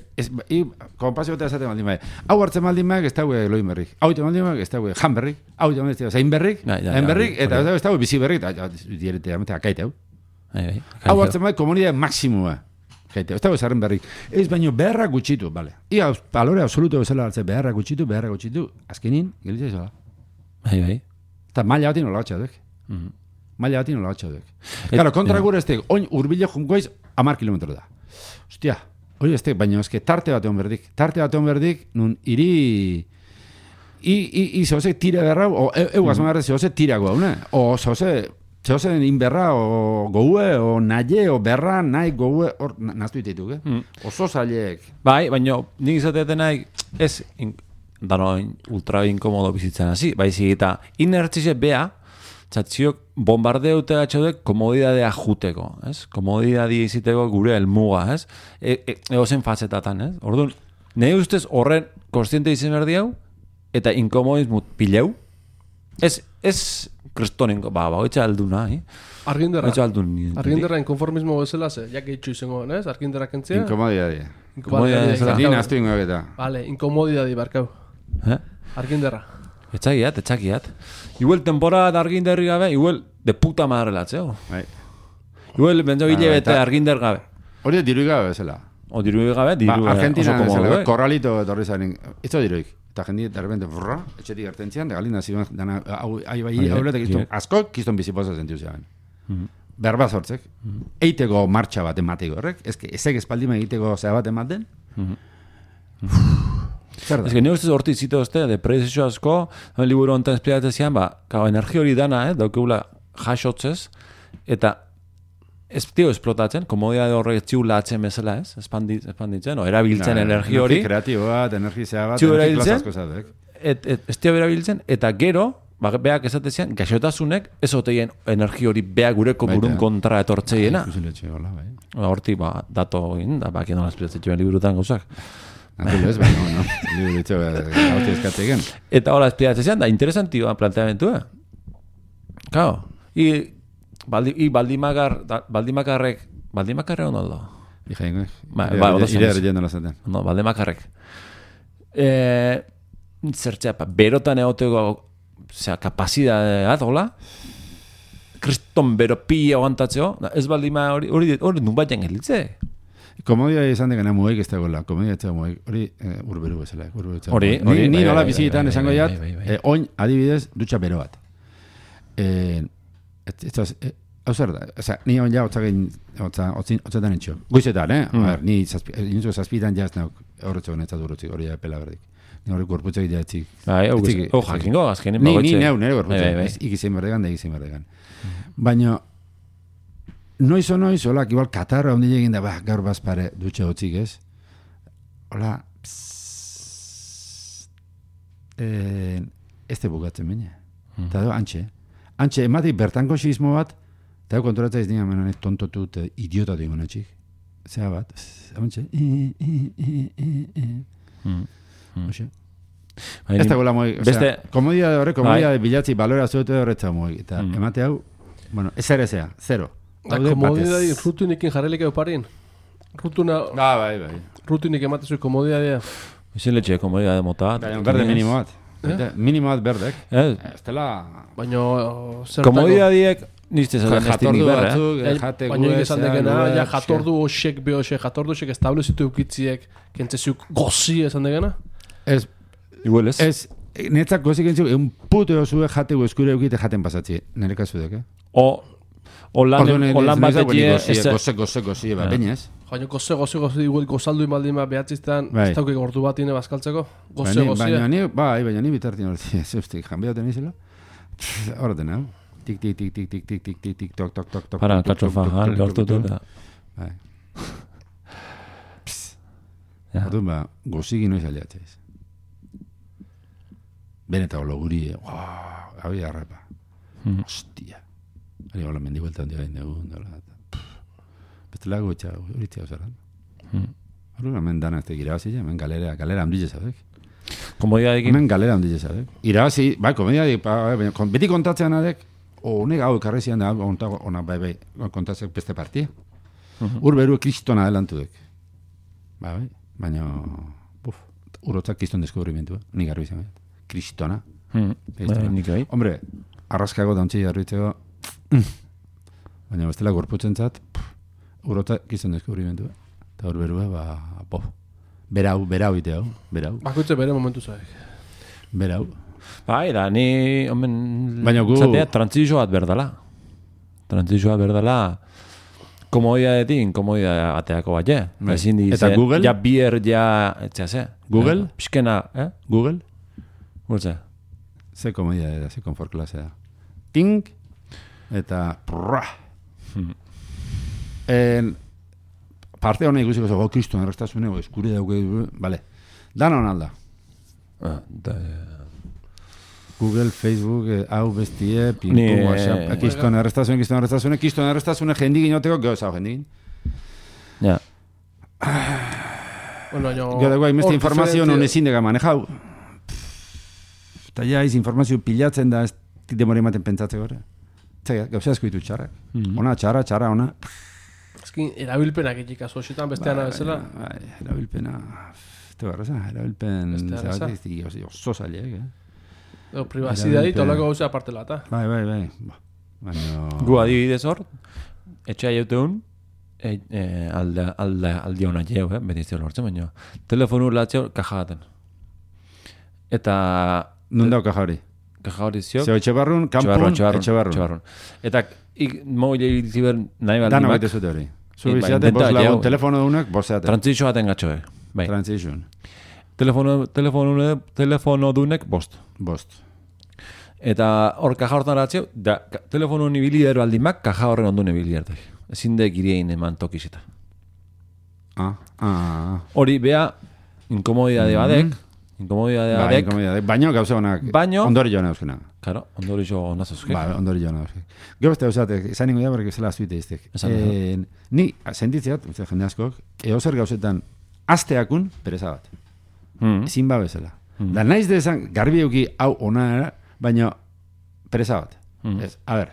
Speaker 2: kompazio eta esaten maldin baik. Hau hartzen maldin baik, ez daue loin berrik. Hau hartzen maldin baik, ez daue jan berrik. Hau hartzen maldin baik, zein berrik, hain berrik, eta ez daue bizi berrik, eta direte amete akaite hau. Hau hartzen baik, komunidade maksimua. Ez daue zarren berrik. Ez baino beharra gutxitu, bale. Ia, balore absoluto bezala hartzen beharra gutxitu, azkenin, gelitzea izola. Eta maila batin hola batxadek. Claro, kontra gure estek, oin urbile junkoiz 10 kilometro da. Ostia, hori estek, baina eske tarte bat egon berdik, nun iri... I zoze tira berra, o euaz magarra zoze tirago, o zoze Zeozen inberra, o goue, o naie, o berra, nahi, goue, hor, naztu ditutuk, Oso zaileek.
Speaker 1: Bai, baina nik izateetan nahi, ez, dano ultra inkomodo bizitzen hasi, baizik eta inertzize bea, txatziok bombardeute gatxodek komodidadea juteko, ez? Komodidadia iziteko gure helmuga, ez? Egozen fazetatan, ez? Orduan, nahi ustez horren konstiente izen berdi hau, eta inkomodismo pileu, ez kristonen, bagoitza alduna,
Speaker 3: Arginderra inkonformismo bezala ze, jak eitxu izango, ez? Arginderra kentzea?
Speaker 2: Inkomodidadia.
Speaker 3: Inkomodidadia.
Speaker 2: Naztu ingoak eta.
Speaker 3: Vale, inkomodidadi barkau. Arginderra.
Speaker 1: Etxagiat. Igual temporada arginderri gabe, igual de puta madre latzeo. Igual benzo gile bete arginder gabe.
Speaker 2: Hori dirui gabe bezala.
Speaker 1: O dirui gabe,
Speaker 2: Argentina bezala, korralito etorri zaren. Esto diruik. Eta jendik, de repente, etxetik ertentzian, de galina ziren, dana, asko, kiston bizipoza zentiu zean. Berba sortzek. Eiteko martxa bat emateko horrek. Ezek espaldima egiteko zea bat ematen.
Speaker 1: Zer da? Ez que nire ustez horti zite ozte, depresio asko, liburu honetan espliatzen zian, energia hori dana, daukegula jasotzez, eta ez tio esplotatzen, komodidade horrek txiulatzen bezala, ez? Espanditzen, erabiltzen energia hori.
Speaker 2: Energia kreatibo bat, energia bat, energia klazazko zatek.
Speaker 1: Ez tio erabiltzen, eta gero, beak esatezian, gaixotasunek ez oteien energia hori beak gureko burun kontra etortzeiena. Horti, dato egin, da bakien nola espliatzen joan liburutan gauzak.
Speaker 2: Natulo ez, no. Liburu ditxo, gauti eskatzegen.
Speaker 1: Eta hola espliatzen zian, da interesantioa planteamentua. Kao, Baldimakarrek ondo aldo?
Speaker 2: Ijaingo,
Speaker 1: ire
Speaker 2: errellendo lazaten.
Speaker 1: No, Baldimakarrek. Zertxea, berotan egoteko, kapazidad, hola? Kriston bero pila aguantatzeo, ez baldima hori nun batean gelitze.
Speaker 2: Komodia izan degana mugaik ez dagoela, komodia ez dago mugaik, hori urberu bezala.
Speaker 1: Hori.
Speaker 2: Ni nola bizitan esango jat, oin adibidez dutxa bero bat. Hau zer da, ni on ja otzetan entxo. Goizetan, ni inuntzuko zazpitan jaz nauk horretzo honetzat urrutzik, hori pela berdik. Ni hori gorputzak jatzik.
Speaker 1: Jakingo, azkenin
Speaker 2: Ni nire gorputzak, ikizein berdegan da ikizein berdegan. Baina, noiz, holak, igual katarra ondi egin da, gaur bazpare dutxe hotzik ez. Hola, ez te bukatzen baina. Eta do, Antxe, ematik bertanko xismo bat, eta kontoratza ez dira tontotu eta idiota dugu natxik. Zea bat, amantxe. Ez da gola moi, komodia de horre, komodia de bilatzi balora zuetu horretza moi. Eta emate hau, bueno, ez ere zea, zero.
Speaker 3: Komodia di rutunikin jarrelik euparin. Rutuna...
Speaker 2: Bai.
Speaker 3: Rutinik emate zui komodia dia.
Speaker 1: Ezin letxe komodia de mota.
Speaker 2: Berde minimo bat. Minimo bat berdek. Estela...
Speaker 3: Baina...
Speaker 1: Komodia diek... Nizte zaten estinik berra.
Speaker 3: Baina esan degena, jatordu osek jatordu osek establezitu eukitziek, kentzezuk gozi esan degena?
Speaker 2: Ez.
Speaker 1: Igual ez?
Speaker 2: Ez. Netzak gozik entzuk, un puto osue jategu eskure eukite jaten pasatzi. Nire kasudek,
Speaker 1: O lan batekie...
Speaker 2: Goze, bainez.
Speaker 3: Baina goze, igual gozaldu imaldima behatziztan, ez daukik ordu bat ine bazkaltzeko? Goze.
Speaker 2: Baina ni bitartin horti, zeustik, janbeaten izela. Horreten, hau. Tik, tok, tok.
Speaker 1: Para, katxofa, lortu dut.
Speaker 2: Hortun goziki noiz aliatzeiz. Beneta holo guri, hau jarrapa. Hostia. Ari hola mendi vuelta un día en segundo. Beste lago etxa, hori txau zeran. Hori hemen dana ez irabazi, hemen galera handile zabek.
Speaker 1: Komodiadekin?
Speaker 2: Hemen galera handile zabek. Irabazi, komodiadekin, beti kontatzean adek, honek hau ekarrezian da, ona bai, kontatzek beste partia. Urberu kristona adelantu dek. Baina, urotzak kriston deskubrimentua, nik garbi izan. Kristona. Hombre, arraskago dauntzi jarritzeko, baina bestela gorputzen zat, urota gizten deskubrimentua. Eta hor berua, berau ite hau, berau.
Speaker 3: Bakoitze bere momentu zaik.
Speaker 2: Berau.
Speaker 1: Da, ni,
Speaker 2: baina gu...
Speaker 1: zatea, trantzizio bat berdala, komodiadetik, komodia ateako bat,
Speaker 2: Eta Google?
Speaker 1: Ja bier, etxea,
Speaker 2: Google?
Speaker 1: Piskena,
Speaker 2: Google?
Speaker 1: Gultze?
Speaker 2: Ze komodia da, ze konfort klase da. Ting, Eta parte hona ikusiko zo, kriston errastasune, eskuri dauke, vale. Dan hon alda. Google, Facebook, hau bestie, ping-pong, WhatsApp, kiston errastasune, jendik inoteko, geho jendik.
Speaker 1: Ja.
Speaker 2: Gero dagoa, imeste informazio non ezin dega manejau. Eta ja, informazio pilatzen da, ez demore ematen pentsatzeko gore. Gauza asko ditu txarrak. Ona, txarra, ona.
Speaker 3: Ezkin, erabilpenak egik azu hoxetan bestean abezela?
Speaker 2: Erabilpena... Erabilpen... Oso zailek,
Speaker 3: Privazidadi, tolako gauza aparte lata.
Speaker 2: Bai.
Speaker 1: Gu adibidez hor, etxea jauteun, alde hona jau, beti izteo lortzen, baina telefonu latzeo kajagaten. Eta...
Speaker 2: Nun dau kaja hori?
Speaker 1: Kaja hori ziok?
Speaker 2: Zeo etxebarrun, kampun, etxebarrun.
Speaker 1: Eta mogile ziber nahi baldimak...
Speaker 2: Dana baite zute hori. Zubiziate, bos lagun, telefono dunak, boseate.
Speaker 1: Trantzitxo baten gatxoek.
Speaker 2: Transition.
Speaker 1: Telefono dunek bost. Eta hor kaja hortan ratzeu, telefono nibiliero aldimak kaja horren ondu nibilierdek. Ezin dek iriein eman tokizeta. Hori bea, inkomodidade badek,
Speaker 2: baino gauza honak, ondori joan euskena.
Speaker 1: Claro, ondori jo honaz euskek.
Speaker 2: Ondori joan euskek. Gero beste eusatek, izan ingo da, porque zela azuite iztek. Ni, sentitzeat, jende askok, eozer gauzetan asteakun pereza bat. Ezin ba bezala. Da naiz dezan, garbi euki hau ona, baina pereza bat. A ber,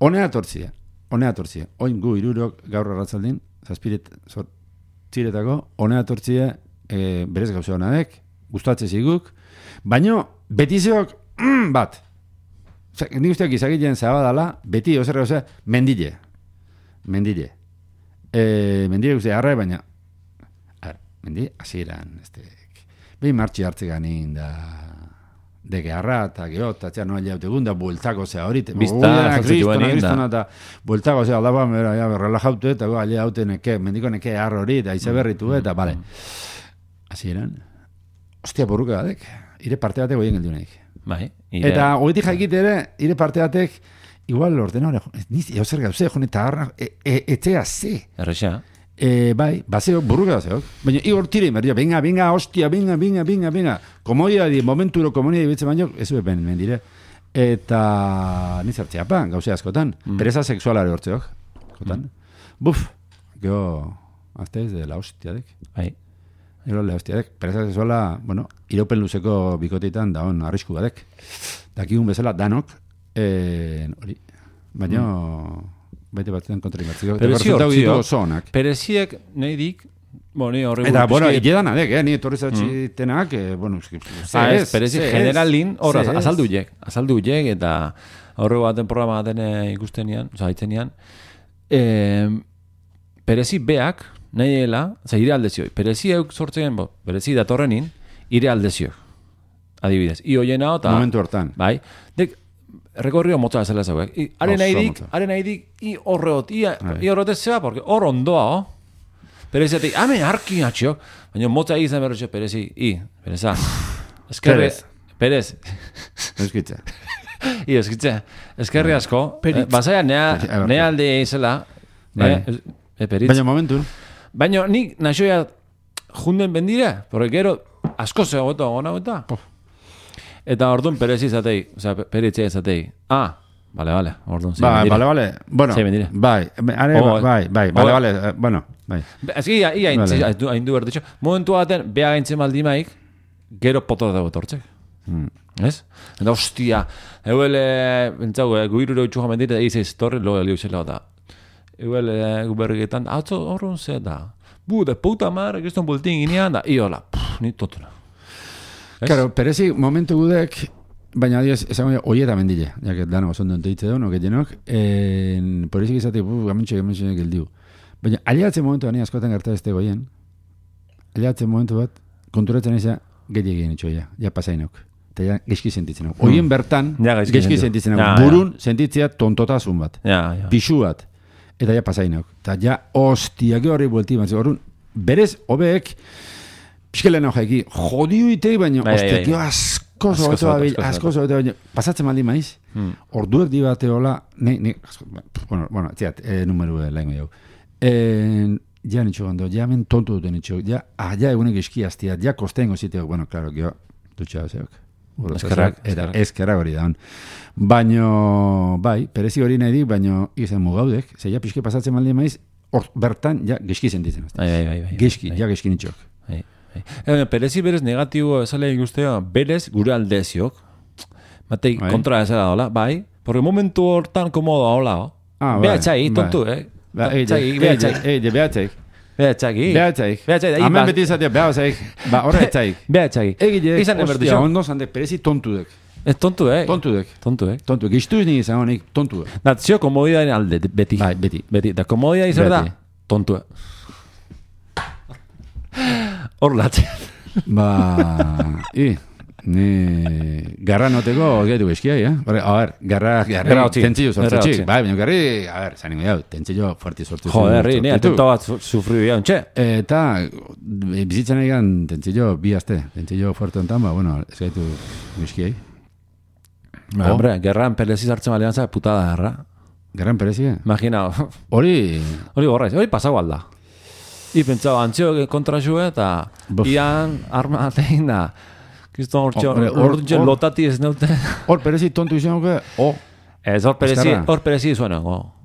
Speaker 2: honea tortzia. Oin gu irurok gaur arratzaldin, zazpiretako, honea tortzia berez gauze honadek, gustatze ziguk, baina betizeok bat. Nik usteak izagiten zabadala, beti ozer gauze, mendile. Mendile guzti arra, baina mendi, hasieran behin martxi hartze ganin da deke arra eta geota, no aliaute gunda, bueltako zea horit, kristona eta bueltako zea aldaba, relajaute eta alia haute neke, mendiko neke arra hori, eta ize berritu eta, bale. Hasieran, ostia borruka badek, ire parte batek goien gelduneik. Eta goetik jaikit ere, ire parte batek, igual ordenadore, eozer gauze, jone eta arra, etzea ze.
Speaker 1: Errexea.
Speaker 2: Bai, baseo, burruka baseok. Baina, igor tire, venga, hostia, venga. Komodiadi, momenturo komodiadi betze baino, ez bepen mendire. Eta nizartzea pa, gauze askotan. Pereza sexualare hortzeok. Buf, geho, azte ez de la hostiadek.
Speaker 1: Bai.
Speaker 2: Gero la hostiadek. Pereza sexuala, bueno, iraupen luzeko bikotitan da on arrisku badek. Dakigun bezala, danok, hori. Baina... Baite batzen kontrimatziko.
Speaker 1: Pereziek nahi dik,
Speaker 2: eta, bueno, ikedan adek, ni etorri zautxitenak, bueno,
Speaker 1: pereziek generalin, hor, azaldu jek, eta horrego baten programa baten ikustenian, oza, haitzenean, perezi beak, nahi dela, oza, ire aldezioi, perezi euk sortzen, perezi datorrenin, ire aldezioi, adibidez, i hoiena, eta...
Speaker 2: Momentu hortan.
Speaker 1: Bai, dek, rekorrio motza bezala zauek. Haren nahidik, i horreot, i horretez zeba, porque hor ondoa, Pereziatik, hamen harki atxiok, baina motza izan berretxe, perezi, pereza. Perez.
Speaker 2: Eskitza.
Speaker 1: Eskerri asko. Basaia, nea alde izela.
Speaker 2: Baina momentu.
Speaker 1: Baina nik naxoia junden bendire, porque gero asko zegoeto gona eta. Eta orduan perezi izatei, oza, peritzea izatei. Vale, orduan.
Speaker 2: Vale. Bueno, bai. Bueno, bai.
Speaker 1: Ez gira, hain du berditxo. Momentu baten, beha gaintzen maldimaik, gero poto dago tortzek. Ez? Eta hostia, euele, bentzau, guiruro itxuja mendire, izaiz torri, loa liuzela da. Euele, gubergetan, horren ze da. De puta madre, kriston bultin ginean da. Iola, ni totuna.
Speaker 2: Claro, perezi momentu gudek, baina adios, esango ya, oieta mendile, ya que dano oso deitze duen, oketenok, porezik izatik, gamentxe geldiu. Baina, aliatzen momentu bani askotan gerta ez goien, aliatzen momentu bat, konturatzen eza, gehiagien itxoia, ja pasainok. Eta ja, geizki sentitzen hau. Oien bertan, geizki sentitzen hau. Burun sentitzea tontotazun bat. Pixu bat. Eta ja pasainok. Eta ja, hostia, hori buelti, horren, berez, hobeek, Piskelena jaiki, jodiu itei, baina, ostia, asko zoeto, pasatzen maldi maiz, orduek di bateola, bueno, txiat, numeru lehen gehiago. Ja nitxo gando, ja men tontu duten nitxo, ja egunek eskiaztia, ja kostengo ziteok, bueno, klaro, gio, dutxa zeok. Eskerrak hori da. Baino, bai, perezi hori nahi dik, baino izan mugaudek, ze ja pixke pasatzen maldi maiz, bertan, ja, geski sentitzen. Geski nitxok.
Speaker 1: Perezi berez negatibo esale ikustea, berez gure aldeziok. Matei kontra ezera dola, bai. Porque momentu hortan komodo hola. Behatxai, tontu,
Speaker 2: Behatxaik. Hemen beti izatea, behatxaik. Horretxaik.
Speaker 1: Behatxaik.
Speaker 2: Ostia, ondo zandek, perezi tontudek.
Speaker 1: Ez tontudek.
Speaker 2: Tontudek. Giztu izan izan honik, tontudek.
Speaker 1: Natzio komodidaren alde, beti.
Speaker 2: Bai, beti.
Speaker 1: Da komodida izan da, tontudek. Hor latzean.
Speaker 2: Ni garra noteko gaitu eskia, A ver, garra tentzillo sortutxik. Bai, baina garri, a ver, zaningo jau, tentzillo fuerti sortutxik.
Speaker 1: Joder, ni atento bat sufriu ya, ontxe.
Speaker 2: Eta, bizitzen egan tentzillo bi aste, tentzillo fuerte ontan, bueno, ez gaitu eskiai.
Speaker 1: Hombre, gerran perezi zartzen balean za, putada garra.
Speaker 2: Gerran perezi,
Speaker 1: Imagina.
Speaker 2: Hori
Speaker 1: gorraiz, hori pasau alda. I pentsau, antzio kontra xue, eta ian arma atein da. Kiston hor lotati ez neute.
Speaker 2: Hor perezi tontu izan nuke,
Speaker 1: Ez, hor perezi zuen ego.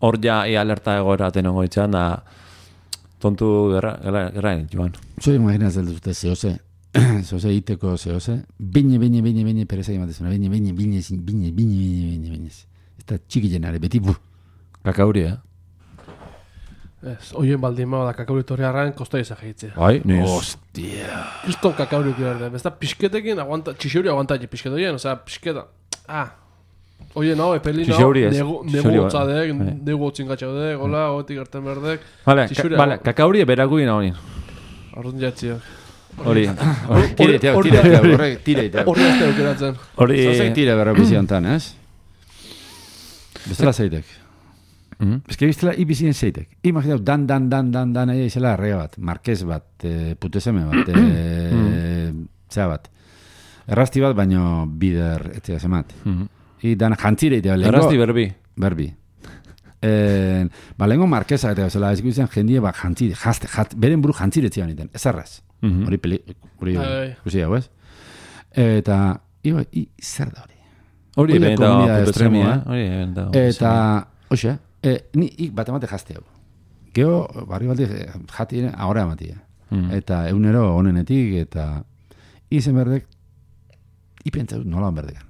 Speaker 1: Hor ja alerta egoera tenengo itxan da tontu gerra joan.
Speaker 2: Zoi imaginatzen dute zehose iteko zehose, bine perezi egimatezuna, bine. Eta txiki jenare, beti bu.
Speaker 1: Kakauri,
Speaker 3: Ez, oien baldin mao da kakauri torriarran kostoi ezak egitzea.
Speaker 1: Bai, niz.
Speaker 3: Hostia. Kriston kakauri kiberde. Ez da pixketekin, txixeuri aguantatxe pixketoien, osea, pixketa. Oien hau, epelina, negu gotzadek, negu gotzin gatxaudek, hola, gotik gerten berdek.
Speaker 1: Vale, kakauri eberaguin hau nien.
Speaker 3: Arrun jatziak.
Speaker 1: Hori.
Speaker 2: Tire.
Speaker 3: Horri azte eukeratzen.
Speaker 2: Zazek tire berra biziontan, ez? Bestela zeitek. Ez que biztela ibizien zeitek. Imaginau, dan, izela arrega bat, marquez bat, puteseme bat, zea bat. Errasti bat, baino bider etzea zemat. I dan jantzire itea.
Speaker 1: Errasti berbi.
Speaker 2: Lengo marqueza eta zela, ez guztian jendie bat jantzire, beren buru jantzire etzian iten, ez arraz. Hori guzti hau, ez? Eta, zer da hori?
Speaker 1: Hori
Speaker 2: komunidad
Speaker 1: estremia.
Speaker 2: Eta, hoxe, ni bat emate jazte hau. Geo, barri baldi jati ahora ematia. Eta egunero honenetik, eta izen berdek, ipentza dut nola berdekan.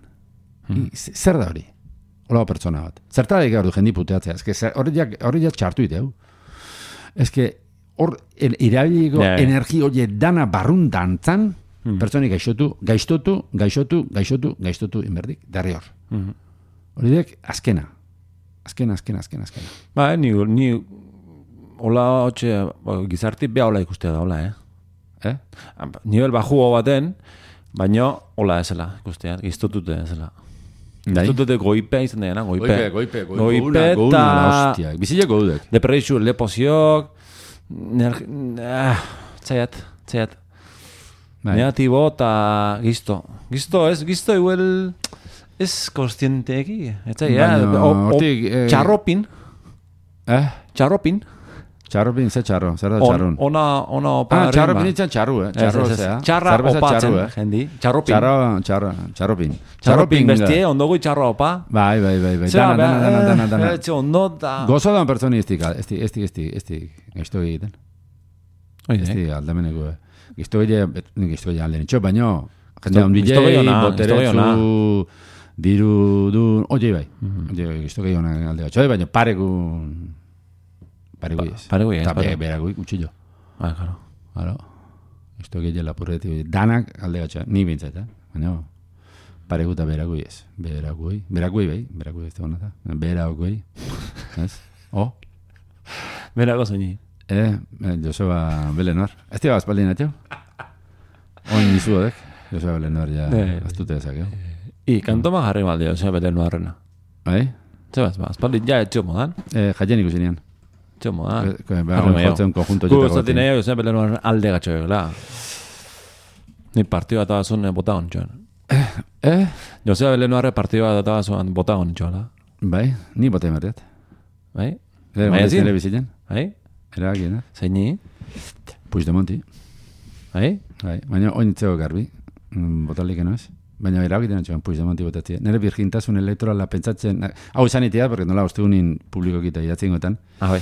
Speaker 2: Zer da hori? Hola pertsona bat. Zertarik gaur du jendi puteatzea. Hori ja txartu ite hau. Ez que hor irabiliko energi hori dana barrun dantzan, pertsonik gaixotu inberdik, darri hor. Hori dek, azkena.
Speaker 1: Ba, ni hola hotxe, gizarti beha hola ikustea da, hola, Nivel baju baten, baina hola ezela ikustea, giztotute ezela. Giztotute goipe izan dena, goipe eta
Speaker 2: bizilek godudek.
Speaker 1: Depresio, lepoziok, txaiat. Negatibo eta gizto. Gizto igual ez konstienteeki. Txarropin.
Speaker 2: Txarropin, ze txarro? Zer da txarrun?
Speaker 1: Ona opa.
Speaker 2: Txarropin itzan txarru, Txarro zea.
Speaker 1: Txarra opatzen, jendi.
Speaker 2: Txarropin.
Speaker 1: Txarropin bestie, ondogui txarra opa.
Speaker 2: Bai. Dana.
Speaker 1: Ondo da.
Speaker 2: Gozo da un pertsoni esti gaizto egiten. Esti aldameneko. Gaizto egiten alden itxo, baino jende ondilei, boteretzu, diru du, oie bai. Gaizto egiten alde gatxo, baino paregui ez. Eta beragui gutxillo.
Speaker 1: Bai,
Speaker 2: claro. Gaizto egiten lapurreti, danak alde gatxo, ni bintzat, baina paregu eta beragui ez. Beragui ez da honata. Beragui, ez?
Speaker 1: Berago zoini.
Speaker 2: Joseba Belenuar. Ez tira bazpaldin atxo? Oin nizuodek. Joseba Belenuar ja aztute ezak,
Speaker 1: kantoma jarri maldi Joseba Belenuarrena.
Speaker 2: Bai?
Speaker 1: Zebaz, bazpaldin ja etxo modan.
Speaker 2: Jaien ikusinean.
Speaker 1: Etxo modan.
Speaker 2: Jotzen konjunto jetako.
Speaker 1: Gustatzen nahi Joseba Belenuar alde gatxo egela. Ni partio bat abazun bota hon txoen. Joseba Belenuarre partidua databa zoan bota hon txola.
Speaker 2: Bai, ni bota emarriat.
Speaker 1: Bai?
Speaker 2: Bai, telebizitzen.
Speaker 1: Bai?
Speaker 2: Eragien,
Speaker 1: Zeini?
Speaker 2: Puigdemonti.
Speaker 1: Bai?
Speaker 2: Bai, baina oinitzeko garbi. Botalik ez. Baina eragiten atxoan Puigdemonti botatzea. Nere virgintasun elektorala pentsatzen... Hau izanitea, porque nola ostegunin publikokita idatzen gotan.
Speaker 1: Bai.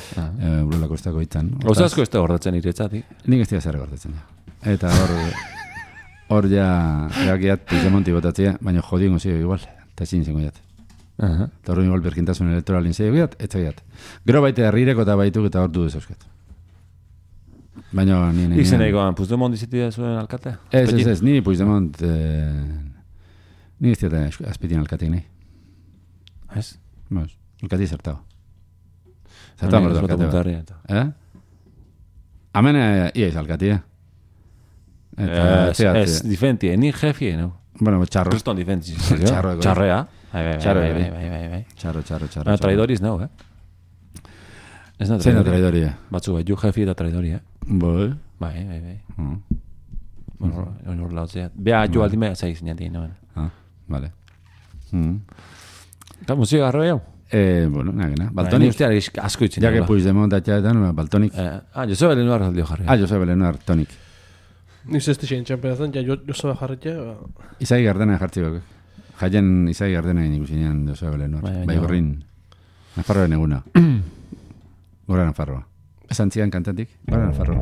Speaker 2: Urolako estako hitzan.
Speaker 1: Gauza asko ez da gordatzen iretzatik.
Speaker 2: Nik ez dira zer gordatzen. Eta hor ja erakiat Puigdemonti botatzea, baina jodien gozio igual. Eta ezin zengo jat. Eta hori igual virgintasun elektoralin zei egiat, ez egiat. Gero baite herrireko eta baituk eta hor du dezauzket. Baina ni...
Speaker 1: Izen egoan, Puigdemont izitia zuen alkatea?
Speaker 2: Ez, ni Puigdemont... Ni ez dira azpitien alkatik nahi.
Speaker 1: Ez?
Speaker 2: Bos, alkati zertago. Zertago mordo alkatea. Hemen ia iz alkatia.
Speaker 1: Ez, diferentie, ni jefie, no?
Speaker 2: Bueno, txarro.
Speaker 1: Kriston diferentie.
Speaker 2: Txarroa.
Speaker 1: Bai.
Speaker 2: Txarro.
Speaker 1: Traidoriz, no, Ez da
Speaker 2: traidori. Zein da traidori,
Speaker 1: Batzu, ju jefi da traidori,
Speaker 2: Bai.
Speaker 1: Bai. Bueno, hor lautzea. Bea, ju aldime, zaiz, nianti, no?
Speaker 2: Vale.
Speaker 1: Eta musika garro jau?
Speaker 2: Bueno, nagena. Baltonik.
Speaker 1: Ustea asko itzen.
Speaker 2: Ja que Puigdemont atxaetan, Baltonik.
Speaker 1: Joseba Belenuar aldio jarri.
Speaker 2: Joseba Belenuar, tonik.
Speaker 3: Ni zesti xein txamperazan, Joseba jarretxe.
Speaker 2: Izai gardena jartzi gok. Jaien Izai gardena ikusinean Joseba Belenuar. Bai gorrin. Nafarroaren eguna. Gora Nafarroa. Esan zian kantatik. Gora Nafarroa.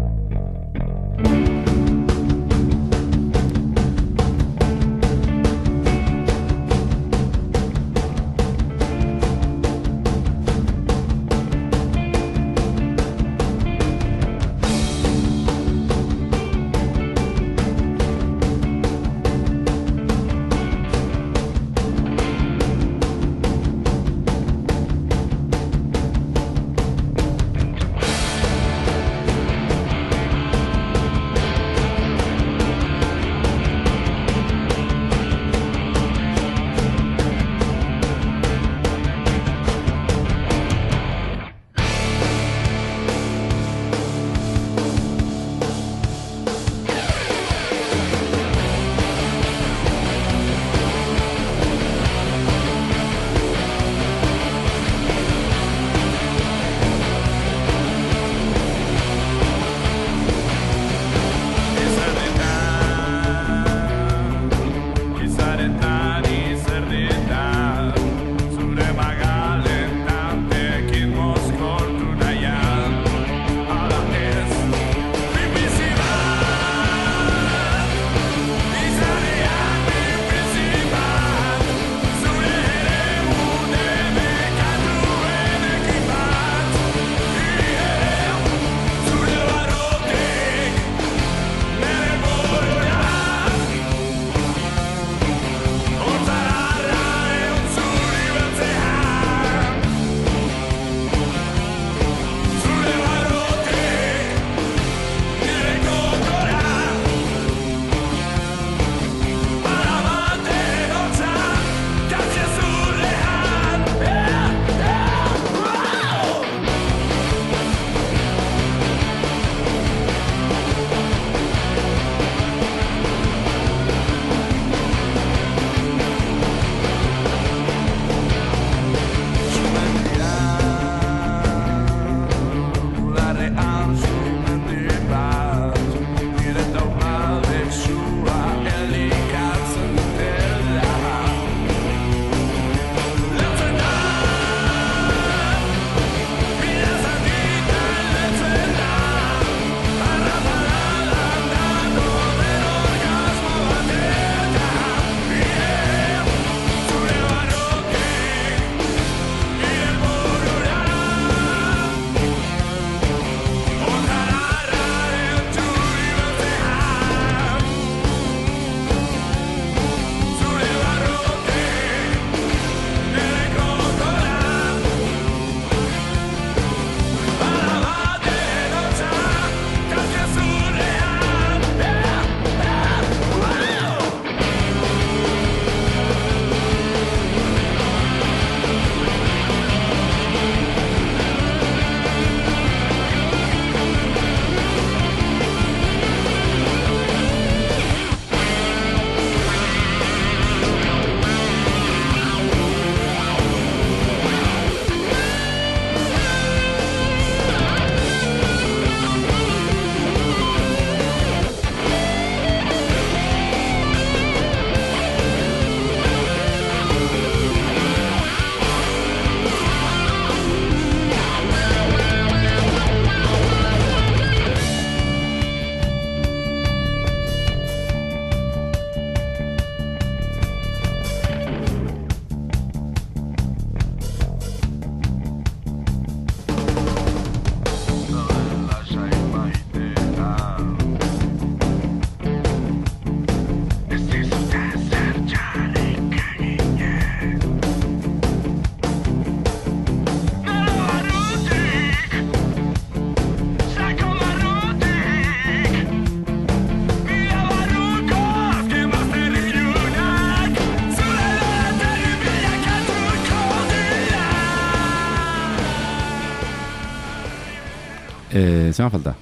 Speaker 2: Zema falta?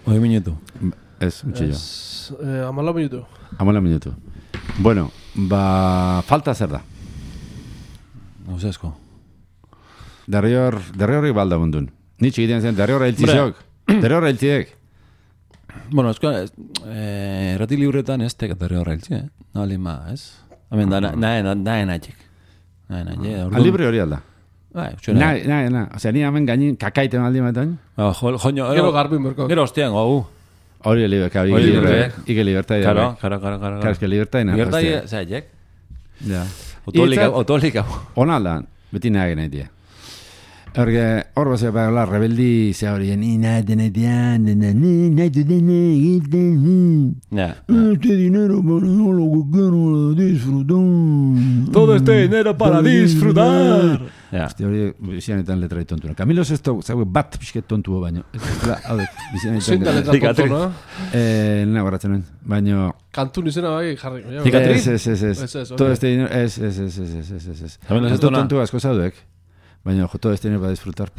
Speaker 1: 10 minutu.
Speaker 2: Ez, utxillo.
Speaker 3: 14 minutu.
Speaker 2: 14 minutu. Bueno, falta zer da?
Speaker 1: Nauzesko.
Speaker 2: Derriorri balda bundun. Ni txikitean zen, derriorra hiltzizok. Derriorra hiltzidek.
Speaker 1: Bueno, errati libretan ez teka derriorra hiltzi, Nolin ma, ez? Hemen da, nahen atxik.
Speaker 2: Libre hori alda.
Speaker 1: Bai,
Speaker 2: Na. Osea, ni hemen gainin kakaiten aldi matan.
Speaker 1: Joño,
Speaker 3: Gero garbin berko.
Speaker 1: Gero ostean,
Speaker 2: Hori libre. Ike libertad.
Speaker 1: Claro.
Speaker 2: Es que libertad.
Speaker 1: Libertad, zaitek.
Speaker 2: Ja.
Speaker 1: Otolika.
Speaker 2: Ona aldan, beti nahi genaitia. Hor bazea la rebeldi ze hori, ni nahi denetian, nahi egiten. Este dinero para lo que quiero disfrutar.
Speaker 1: Todo este dinero para disfrutar.
Speaker 2: Este hori bizianetan letra tontuna. Camilo Sesto, zaue bat pixket tontua baino.
Speaker 3: Zein da letra tontuna?
Speaker 2: Nena barratzen nuen, baino...
Speaker 3: Kantun izena bai jarri.
Speaker 2: Ez. Todo este dinero, ez. Camilo Sesto tontua asko zauduek. Baina, todo este dinero para disfrutar.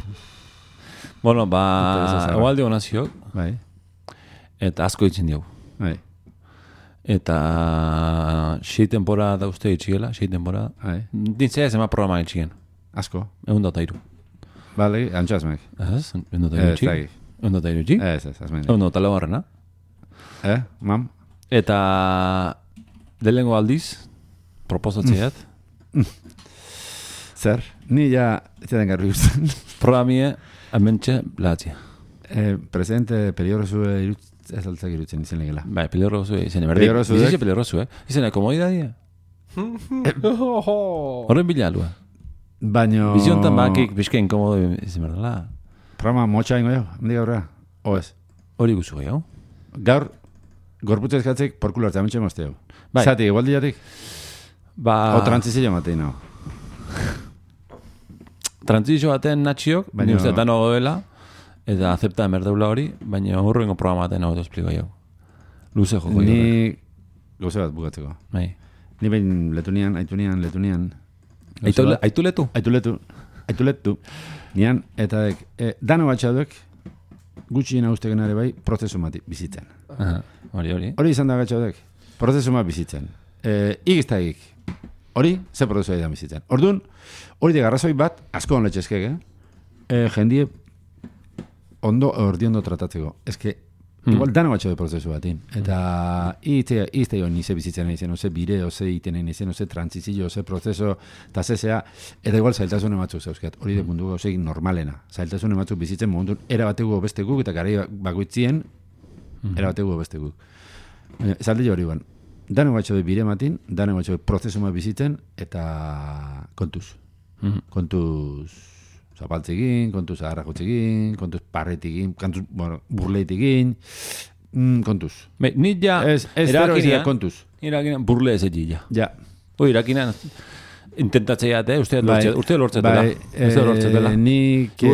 Speaker 1: Bueno, igual de onaziok.
Speaker 2: Bai.
Speaker 1: Eta asko itzen diau.
Speaker 2: Bai.
Speaker 1: Eta 6 temporada da uste itxiela, 6 temporada.
Speaker 2: Bai.
Speaker 1: Dintzea ez ema programa itxien.
Speaker 2: Asko.
Speaker 1: 103.
Speaker 2: Vale, antxazmek.
Speaker 1: Ez, 103 itxik. 103 itxik.
Speaker 2: Ez, azmen.
Speaker 1: 103 barrena.
Speaker 2: Mam?
Speaker 1: Eta delengo aldiz, proposatzeat.
Speaker 2: Zer? Ni ja, etxaten garri guztan.
Speaker 1: Programie, hementxe, lahatzia.
Speaker 2: Presidente peligrosu ez altzak irutzen izen legela.
Speaker 1: Bai, peligrosu izen. Bizize peligrosu, Izena, komodidadia. Horren bila alua.
Speaker 2: Baino...
Speaker 1: Biziontan bakik, bizke inkomodo izan berdala.
Speaker 2: Programa motxa ingo jo, mendik aurrera. Oez.
Speaker 1: Hori guzu gehiago.
Speaker 2: Gaur, gorputza ezkatzek porkulo hartza, mentxe mozteo.
Speaker 1: Bai.
Speaker 2: Zati, igual diatik? O trantzizio matei, no.
Speaker 1: Trantzizio baten natxiok, ni uste dano goela, eta acepta emerdeula hori, baina horrengo programa baten hau espliko jau. Luze joko.
Speaker 2: Ni gauze bat bukatzeko.
Speaker 1: Bai.
Speaker 2: Ni behin letunian. Aituletu. Nian, eta dano batxaduek, gutxien hauzteken ere bai, prozesu mati bizitzen.
Speaker 1: Hori.
Speaker 2: Hori izan da batxaduek, prozesu mat bizitzen. Igiztagik. Hori, ze prozesu da bizitzen. Orduan, hori de garrazoi bat, asko hon letxezkek, jendie ondo tratatzeko. Eske, igual dano batxo de prozesu batin. Eta izte jo nize bizitzen izen, oze bire, oze itenen izen, oze trantzizio, oze prozeso, eta zezea, eta igual zailtasun ematzuk zauzkat. Hori de mundu gauzek normalena. Zailtasun ematzuk bizitzen momentu, erabateko bestekuk, eta gari bakoitzien, erabateko bestekuk. Zalde hori ban. Dano batxo de bire matin, dano batxo de prozesu bat bizitzen, eta kontuz. Kontuz zapaltzekin, kontuz agarrakotzekin, kontuz parretikin, kontuz burleitikin, kontuz.
Speaker 1: Ni ja
Speaker 2: erakinean, kontuz.
Speaker 1: Erakinean burle ez egila.
Speaker 2: Ja.
Speaker 1: Hoi, erakinean intentatzeia, uste lortzetela. Uste lortzetela.
Speaker 2: Nik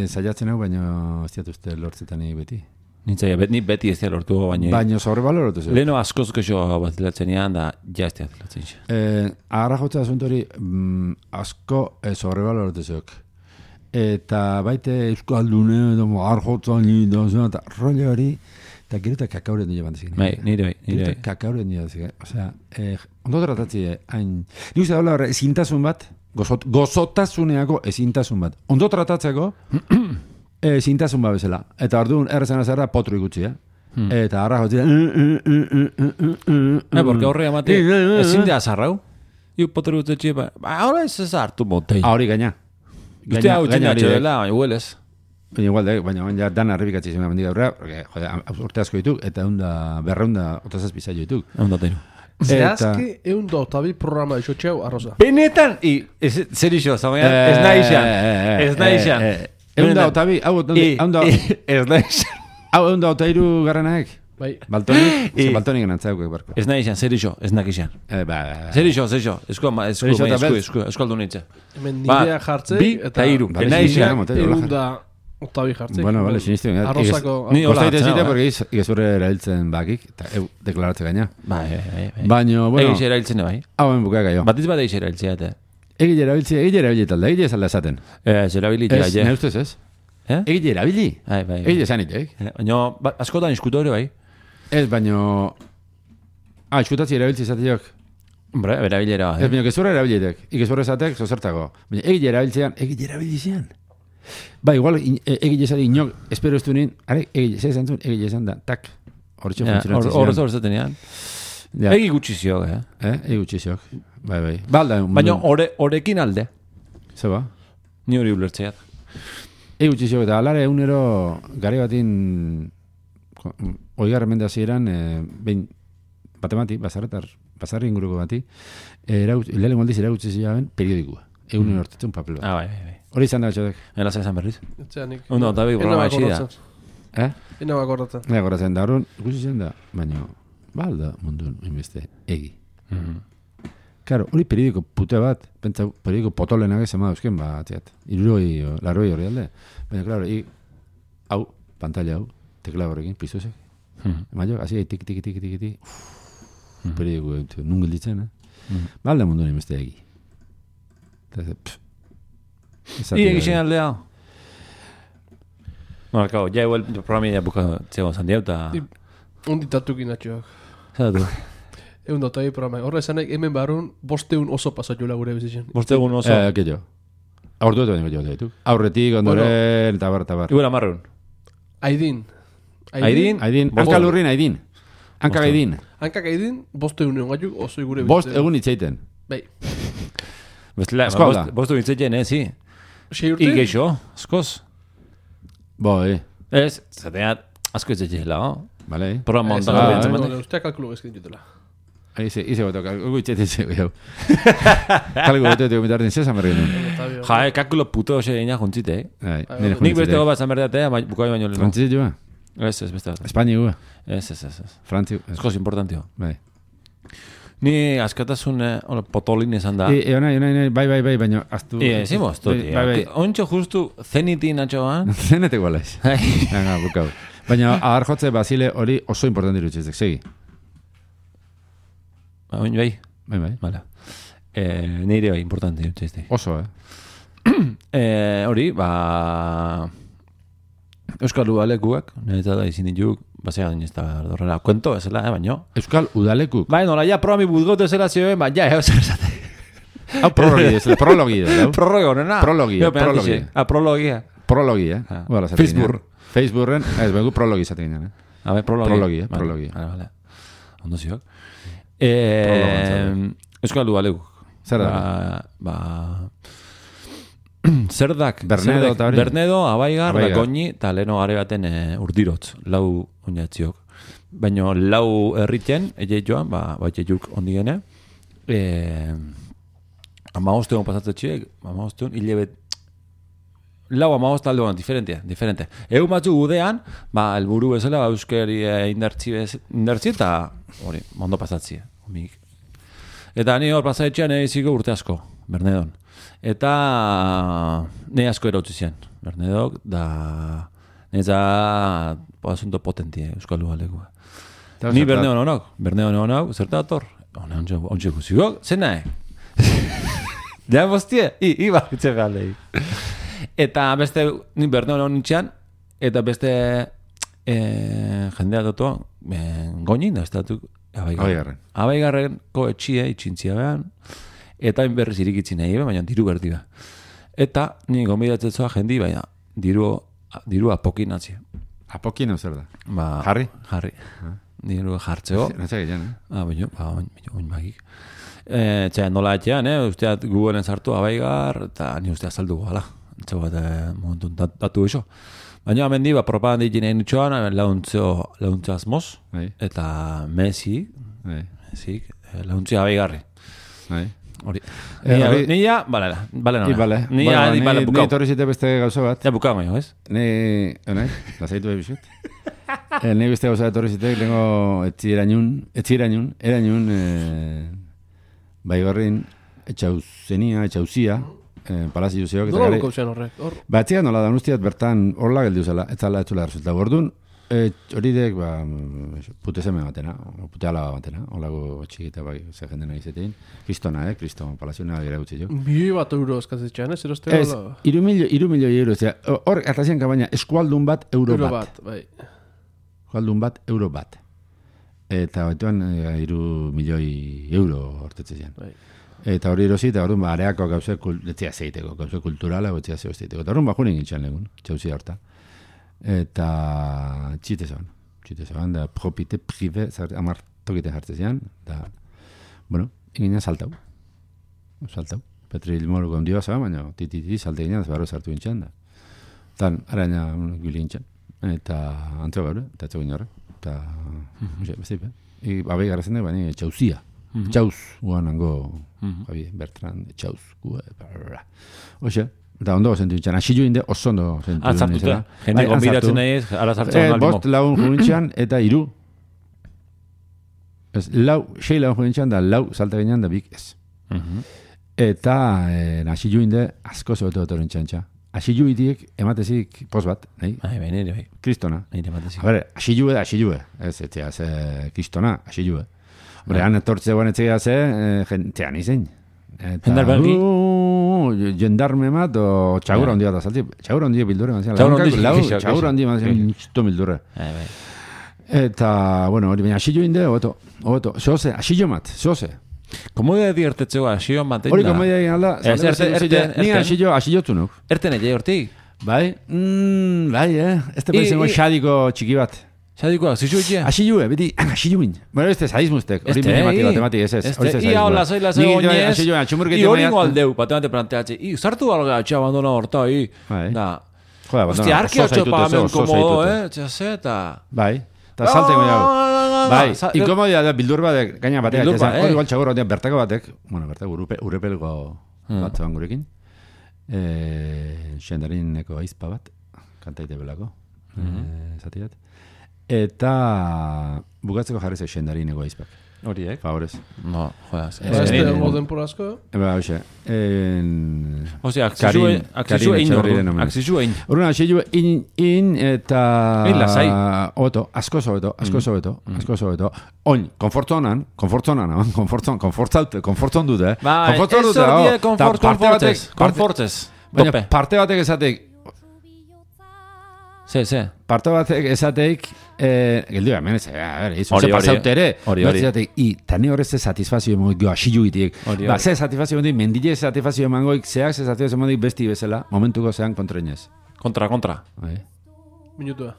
Speaker 2: zaiatzen hau, baina ez diat uste lortzetan beti.
Speaker 1: Ni beti ez lortu baina...
Speaker 2: Baina sobrevaloratu zeu.
Speaker 1: Leheno askoz kexo bat dilatzen ean, da ja ez dilatzen xe.
Speaker 2: Agarra jotza asuntori asko sobrevaloratu zeuk. Eta baite euskaldune, agarra jotza eta role hori, eta gero eta kakauren dira bandezik.
Speaker 1: Nire bai.
Speaker 2: Kakauren dira bandezik. Osea, ondo tratatzi, hain... Nik uste daula horre, ezintasun bat, gozotasuneako ezintasun bat. Ondo tratatzeko... Zintasun ba bezala. Eta orduan errezan azarra potru ikutzi, Eta harra jotzi
Speaker 1: porque horre amate ezin de azarrau. Iu potru ikutzi, ahora ez hartu motei.
Speaker 2: Hori gaina.
Speaker 1: Usted hau txina txedela, baina huelez.
Speaker 2: Baina dan arribikatzi zen mendik aurrera, urte asko dituk, eta berreunda otazaz bizaio dituk.
Speaker 3: Zehazki eundo otabi programa isotxeu arroza.
Speaker 1: Benetan, zer iso, zagoian, ez naixan.
Speaker 2: Eunda otabi, hau eunda otairu garranaek.
Speaker 3: Bai.
Speaker 2: Baltonik ganantzauk barko.
Speaker 1: Ez nahi izan, zer iso, ez nakizan. Zer iso. Eskualdu nitze.
Speaker 3: Hemen nidea jartzei,
Speaker 1: eta iru. Ez nahi izan.
Speaker 3: Eunda otabi jartzei.
Speaker 2: Bueno, vale, sinistu.
Speaker 3: Arrozako.
Speaker 2: Ni ostaite zite, porque igezurre erailtzen bakik, eta deklaratze gaina. Baina, bueno.
Speaker 1: Egiz erailtzen bai.
Speaker 2: Hauen bukaka jo.
Speaker 1: Batiz bat egiz erailtzea, eta.
Speaker 2: Egile erabiltzea talde, egile zalda esaten.
Speaker 1: Ez erabilitzea,
Speaker 2: ne ustez ez? Egile erabili. Egile zanitek.
Speaker 1: Baina, askotan iskutu hori bai.
Speaker 2: Ez, baina... Iskutatzi erabiltzi izateok.
Speaker 1: Hombre, erabilera.
Speaker 2: Ez, baina, gezurra erabiletek. Ikezurra esatek, zozertako. Baina, egile erabiltzean. Ba, igual, egile esari inok, espero ez du nien, egile, zer zantzun, egile esan da, tak. Horretxo funtzionatzen zian.
Speaker 1: Horretxo tenean. Egi gutxiziok,
Speaker 2: Egi gutxiziok. Bai. Balda.
Speaker 1: Baina, horekin alde.
Speaker 2: Zeba?
Speaker 1: Ni hori ulertzeat.
Speaker 2: Egi gutxiziok, eta alare egunero gare batin, oigarren mendazio eran, behin, batemati, basarri inguruko bati, lehen aldiz eragutzi ziaben periodikua. Egunen hortetzen papel bat.
Speaker 1: Bai.
Speaker 2: Hori izan da, txodek.
Speaker 1: Elasa izan berriz.
Speaker 3: Etxeanik.
Speaker 1: Ondo, eta begi programa aixi da.
Speaker 3: Ina bakorratzen.
Speaker 2: Ina bakorratzen, da horren, ikusi zen da, baina, balda mundun, inbeste, egi. Claro, hori periodiko pute bat, pentsa, periodiko potolenak ez ema dauzken, txat, larroi hori alde. Baina, claro, hau, pantalla hau, tekla horrekin, pizuzek. Maio, hasi tiki, periodiko, nun gilditzen, balda mundun, inbeste, egi.
Speaker 1: Egizien aldea. Bueno, claro, ya igual el programa ya busca Txego Sandiau eta...
Speaker 3: Un ditatukin atxoak.
Speaker 1: Zatu.
Speaker 3: Egun dotai programa. Horra esanek, hemen barun, 500 oso pasatxula gure bizitzen.
Speaker 1: 500 oso.
Speaker 2: Keio. Aurtu eto baino ditu. Aurretik, ondoren, tabar.
Speaker 1: Igual amarrun.
Speaker 3: Aidin.
Speaker 2: Hankalurrin Aidin. Hankak Aidin.
Speaker 3: Hankak Aidin, 500 egun gaituk oso gure bizitzen.
Speaker 2: 5 egun itzeiten.
Speaker 3: Bai.
Speaker 1: Bostu itzeiten, sí.
Speaker 3: Sei urte?
Speaker 1: Igeixo, askoz.
Speaker 2: Boi.
Speaker 1: Ez, zateat, asko itzeiten la,
Speaker 2: Vale.
Speaker 1: Programa ondan bintzen bate.
Speaker 3: Ustea kalkulu gezkin ditutela.
Speaker 2: Ize goto, kalkulu itzeiten zego. Kalkulu goto, mitarten zesan berri nun.
Speaker 1: Kalkulo puto ose egina juntzite,
Speaker 2: Nik
Speaker 1: beste gobat zanberdatea, bukai baino leno.
Speaker 2: Frantzit joa?
Speaker 1: Ez, beste bat.
Speaker 2: Espaini gua?
Speaker 1: Ez.
Speaker 2: Frantzi.
Speaker 1: Askoz importantio.
Speaker 2: Bai.
Speaker 1: Ni askatasun potolin esan da.
Speaker 2: Bai, baina aztu...
Speaker 1: Zimo, aztu, ontxo justu zenitin atxoan.
Speaker 2: Zenetek gualaiz. Bukau. Baina ahar jotze Basile hori oso importanti irutxezek, segi.
Speaker 1: Bai. Vale. Neire bai, importanti irutxezek.
Speaker 2: Oso,
Speaker 1: Hori, Euskal Udalekuak, eta da izin dituk, basea gain ez da horrela, kuento ezela, baino.
Speaker 2: Euskal Udalekuk?
Speaker 1: Bai, nola, ja programi budgote ezela zioen, zer esate.
Speaker 2: Hau prologi da. Prologi, Facebooken, ez begu prologi izaten ginen. Prologi.
Speaker 1: Vale. Ondo ziok. Euskal Udalekuk.
Speaker 2: Zer da?
Speaker 1: Zerdak, Bernedo, Abaigar, da Goñi, eta leheno gare baten urdirotz, lau oinatziok. Baina lau herriten, egei joan, juk ondigene, amagostegon pasatzetxiek, hilebet, lau amagost alde diferente. Egun batzu gudean, elburu bezala, euskeri indartzi eta hori, mondo pasatzi. Eta ni hor pasatzean egiziko urte asko, Bernedon. Eta nahi asko erautzi zian, Bernedok, da neza asunto potentie Euskal Udalekua. Ni Bernedon honok, zerta ator? Ontxe guzikok, zen nahi? Ja, bostie, iba, itxe behaldei. Eta beste, ni Bernedon honitxean, eta beste jendea dotoa, Goñin, da estatuk, Abaigarrenko etxie, itxintzia behan, eta berriz irikitzen nahi, baina diru berdi da. Eta, ni gombidatzea jendi, baina diru apokin atzi.
Speaker 2: Apokin hau zer da?
Speaker 1: Jarri. Diru jartzeo.
Speaker 2: Natzak egin,
Speaker 1: oin magik. Txea, nola etxean, usteat Googleen sartu Abaigar, eta ni usteat saldu gala. Txea bat, momentu datu iso. Baina, hemen di, propaganda egin egin itxoan, launtze asmoz, eta Messi, launtze Abaigarri. Hori. Nia, bale.
Speaker 2: Ni torrizite beste gauza bat.
Speaker 1: Ja bukau maio, ez?
Speaker 2: Lazaitu ebizut. Ni beste gauza bat torrizite, lengo etxirainun, Baigarrin, etxauzia, palazio zeok.
Speaker 3: Nola lukau zen horrek?
Speaker 2: Batziak nola da ustiat bertan horla geldi uzela, ez zala resulta. Gordun, hori dek, pute zeme batena, pute ala batena, holago txikita bai, ze jendena izetein. Kristona, Kriston palaziona gira gutzi jo.
Speaker 3: 1 bat euro eskazitxean, ez?
Speaker 2: Ez, 3 milioi euro, hor, atazien kabaina, eskualdun bat, euro bat.
Speaker 3: Bai.
Speaker 2: Eskualdun bat, euro bat. Eta batuan, 3 milioi euro hortetze zian.
Speaker 3: Bai.
Speaker 2: Eta hori erosi, eta horren, areako gauze, etzia zeiteko, gauze kulturala, etzia zeiteko. Eta horren, junen gintxan legun, txauzia horta. Eta txite zeban, da propite prive, amar tokite jartzezian, da, bueno, ingina saltau. Petril moruko ondioa zeban, baina tititi salte ginen, ez barro sartu gintxan, da. Tan, araña gili gintxan, eta antzio gaur, eta etxo ginen horre, eta, bestipe. Abai garrazen da, baina txauzia. Txauz, guan ango, Bertrand, txauz, oxe, eta ondo zentu nintzen, asilu inde oso ondo zentu nintzen.
Speaker 1: Atzartute, jende konbidatzen nahi ez, ara zartzen alimo.
Speaker 2: Bost lagun junintzen, eta 3. Ez, 6 lagun junintzen, da 4 salta ginean, da bik ez. Eta asilu inde asko zobetu dut nintzen txa. Asilu idiek ematezik pos bat, nahi?
Speaker 1: Bai.
Speaker 2: Kristona.
Speaker 1: Ematezik.
Speaker 2: A ber, asilu. Ez, kristona, asilu. Hore, han etortze guan etzea ze, jentean izein.
Speaker 1: Jendar belgi?
Speaker 2: Jendarme mat, o txagura ondia da salti. Txagura ondia bildurre. Txagura ondia mazien bildurre. Eta, bueno, hori baina asillo inde, oto. Zoze, asillo mat, zoze.
Speaker 1: Komodia diertetzeko asillo mat.
Speaker 2: Hori komodia egin alda. Ni asillo tunuk.
Speaker 1: Erten egin hortik?
Speaker 2: Bai, ez te pensengo xadiko txiki bat.
Speaker 1: Xadikoa, zizu
Speaker 2: asilue, beti, asiluin. Bueno, este sadismustek, hori matemati, ez.
Speaker 1: Ia hola, zaila ze oinez. I hori ingo aldeu, batemate planteatxe. I, zartu alga atxe abandona horta, i. Da. Hostia, arki atxe pagamen komodo, txase, eta...
Speaker 2: Bai, eta salten goiago. Bai, inkomodia da, bildur batek, gaina batek, hori igual txagorra, bertako batek, bueno, bertako urepelgo bat zeban gurekin. Xendarineko aizpa bat, kantaite belako, zatiat. Eta bukatzeko jarri zeu xendarin egoizpak.
Speaker 1: Horiek?
Speaker 2: Favorez.
Speaker 1: No, jodas.
Speaker 3: Este moden por asko?
Speaker 2: Hoxe.
Speaker 1: Osea, aksizu egin ordu. Aksizu egin.
Speaker 2: Horren, aksizu egin eta...
Speaker 1: Egin lasai.
Speaker 2: Oto, asko sobeto. Oin, konfortzonan, konfortzon dute.
Speaker 1: Ez hori konfortzez.
Speaker 2: Baina parte batek esatek...
Speaker 1: Se.
Speaker 2: Parte batek esateik, geldu da, menez, izuze pasautere, batzatek, tani horrez ze satisfazio emangoik jo asilu itiek. Ze satisfazio emangoik, mendile satisfazio emangoik, zeak ze satisfazio emangoik besti bezala, momentuko zean kontrainez.
Speaker 1: Kontra.
Speaker 3: Minutua.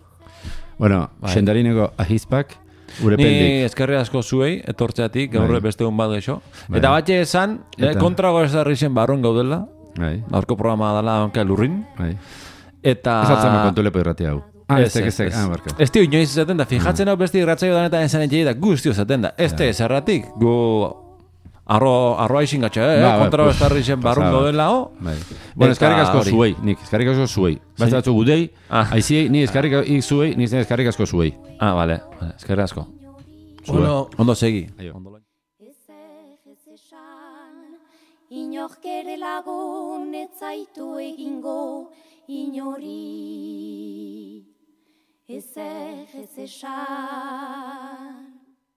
Speaker 2: Bueno, xendarineko ahizpak, urepeldik.
Speaker 1: Ni eskerri asko zuei, etortzeatik, gaurre beste hon bat geixo. Eta batxe esan, kontrago ez darrixen barron gaudela, aurko programa dala onka lurrin. Eta...
Speaker 2: Ez atzama kontu lepo irratia hau.
Speaker 1: Ez tio inoiz izaten da, fijatzen hau besti irratzaio danetan esan etxei da, guztio izaten da. Ez te zerratik, gu arroa izin gatxa, kontra bestarri zen barrun dela, ho?
Speaker 2: Bueno, eskarrik asko zuei, nik, eskarrik asko zuei. Basta batzu gudei, aiziei, ni eskarrik zuei, ni eskarrik asko zuei.
Speaker 1: Vale, eskarrik asko. Ondo segi.
Speaker 4: Inork ere lagun ez zaitu egingo inori. Ez esan.